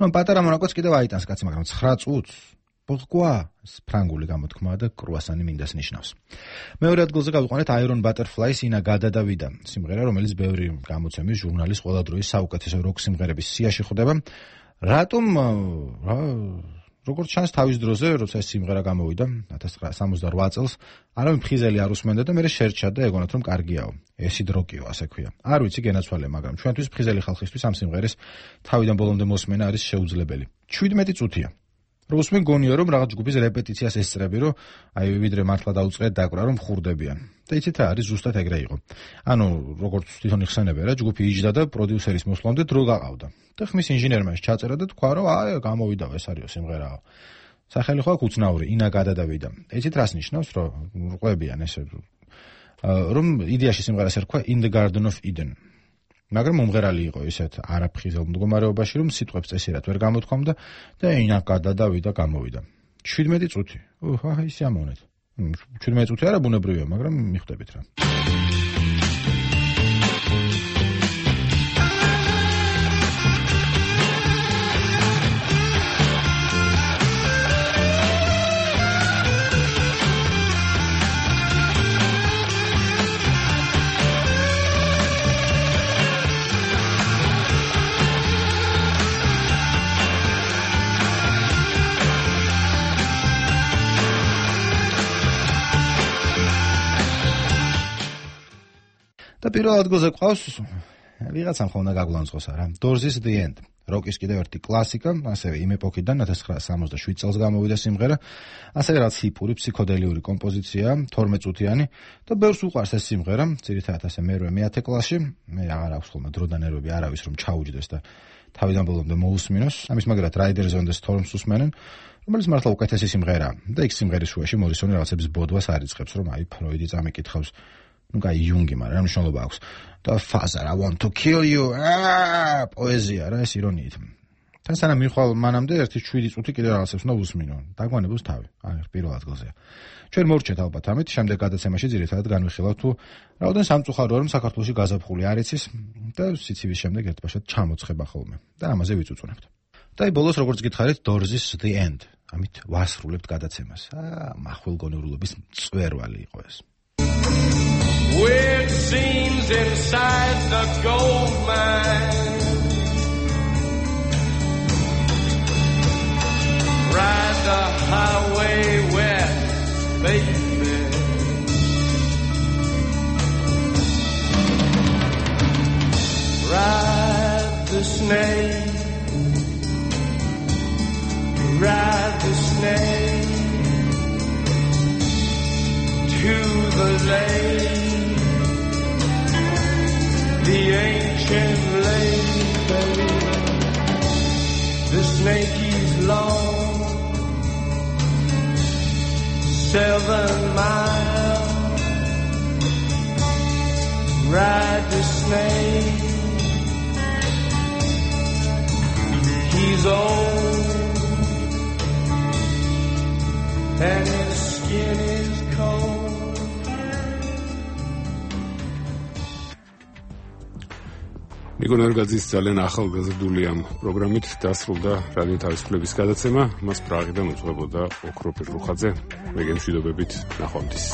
ნუ პატარა მონაკოც კიდევ აიტანს კაცი, მაგრამ ცხრა წუთს ბოღკვა ფრანგული გამოთქმაა და კრუასანი მინდას ნიშნავს. მეორე ადგილზე გავიყვანეთ Iron Butterflies ინა გადადავიდა, სიმღერა, რომელიც ბევრი გამოცემის ჟურნალის ყველა დროის საუკეთესო როკ სიმღერების სიაში ხვდება. რატომ რა როგორც ჩანს თავის დროზე, როცა ეს სიმღერა გამოვიდა ათას ცხრაასა სამოცდარვა წელს, არავინ ფხიზელი არ უსმენდა და მერე შერჩა და ეგონათ რომ კარგიაო. ესიდ როკიო, ასე ქვია. არ ვიცი გენაცვალე, მაგრამ ჩვენთვის ფხიზელი ხალხისთვის ამ სიმღერის თავიდან ბოლომდე მოსმენა არის შეუძლებელი. შვიდმეტი წუთია. რომ უსმენ გონია რომ რაღაც ჯგუფის რეპეტიციას ესწრები, რომ აი ვიდრე მართლა დაუწყეთ დაკვრა რომ ხურდებიან. და იცით რა არის, ზუსტად ეგრე იყო. ანუ როგორც თვითონ იხსენებენ რა, ჯგუფი იჯდა და პროდიუსერის მოსვლამდე დრო გაყავდა. და ხმის ინჟინერმა ჩაწერა და თქვა რომ აი გამოვიდა ეს არისო სიმღერაო. სახელი ხო აქ უცნაური, ინა გადადავიდა. იცით რას ნიშნავს, რომ ყვებიან ესე რომ იდეაში სიმღერას ერქვა In the Garden of Eden. მაგრამ მომღერალი იყო ისეთ არაფხიზელ მდგომარეობაში, რომ სიტყვებს წესიერად ვერ გამოთქვამდა და ინა გადადავიდა, გამოვიდა. შვიდმეტი წუთი. ოჰ, აი სიამოვნეთ. შვიდმეტი წუთი არა ბუნებრივია, მაგრამ მიხვდებით რა. და პირველ ადგილზე ყავს ვიღაცამ ხომ უნდა გაგვლანძღოს არა. Doors' The End. როკის კიდევ ერთი კლასიკა, ასევე იმ ეპოქიდან ათას ცხრაასა სამოცდაშვიდ წელს გამოვიდა სიმღერა, ასევე რაც ჰიპური ფსიქოდელიური კომპოზიცია, თორმეტ წუთიანი და ბევრს უყვარს ეს სიმღერა, ძირითადად ასე მერვე მეათე კლასში, მე აღარ აქვს ხოლმე დრო და ნერვები არავის რომ ჩაუჯდეს და თავიდან ბოლომდე მოусმინოს. ამის მაგრად Riders on the Storms უსმენენ, რომელიც მართლა უკეთესი სიმღერაა და იქ სიმღერის შუაში მორისონი რაღაცების ბოდვას არიწყებს, რომ აი ფროიდი წამიკითხავს. ну кай იუნგი, მაგრამ რა მნიშვნელობა აქვს და Father I want to kill you აა პოეზია რა ეს ირონიით თან სანამ მიხვალ მანამდე ერთი შვიდი წუთი კიდე რაღაცებს უნდა უსმინო დაგვანებოს თავი აი პირველ ადგილზეა ჩვენ მორჩეთ ალბათ ამით შემდეგ გადაცემაში ძირითადად განვიხილავთ თუ რაოდენ სამწუხაროა რომ საქართველოში გაზაფხული არ იცის და სიცივის შემდეგ ერთბაშად ჩამოცხება ხოლმე და ამაზე ვიწუწუნებთ და აი ბოლოს როგორც გითხარით Doors' The End ამით ვასრულებთ გადაცემას აა მახვილგონიურობის წვერვალი იყო ეს Weird scenes inside the gold mine Ride the highway west, baby Ride the snake Ride the snake To the lake The ancient lake, baby. The snake is long, seven miles. Ride the snake. He's old, and his skin is cold. ნიკო ნერგაძის ძალიან ახალგაზრდული ამ პროგრამით დასრულდა რადიო თავისუფლების გადაცემა. მას პრაღიდან უძღვებოდა ოქრო პირუხაძე. მე გემშვიდობებით, ნახვამდის.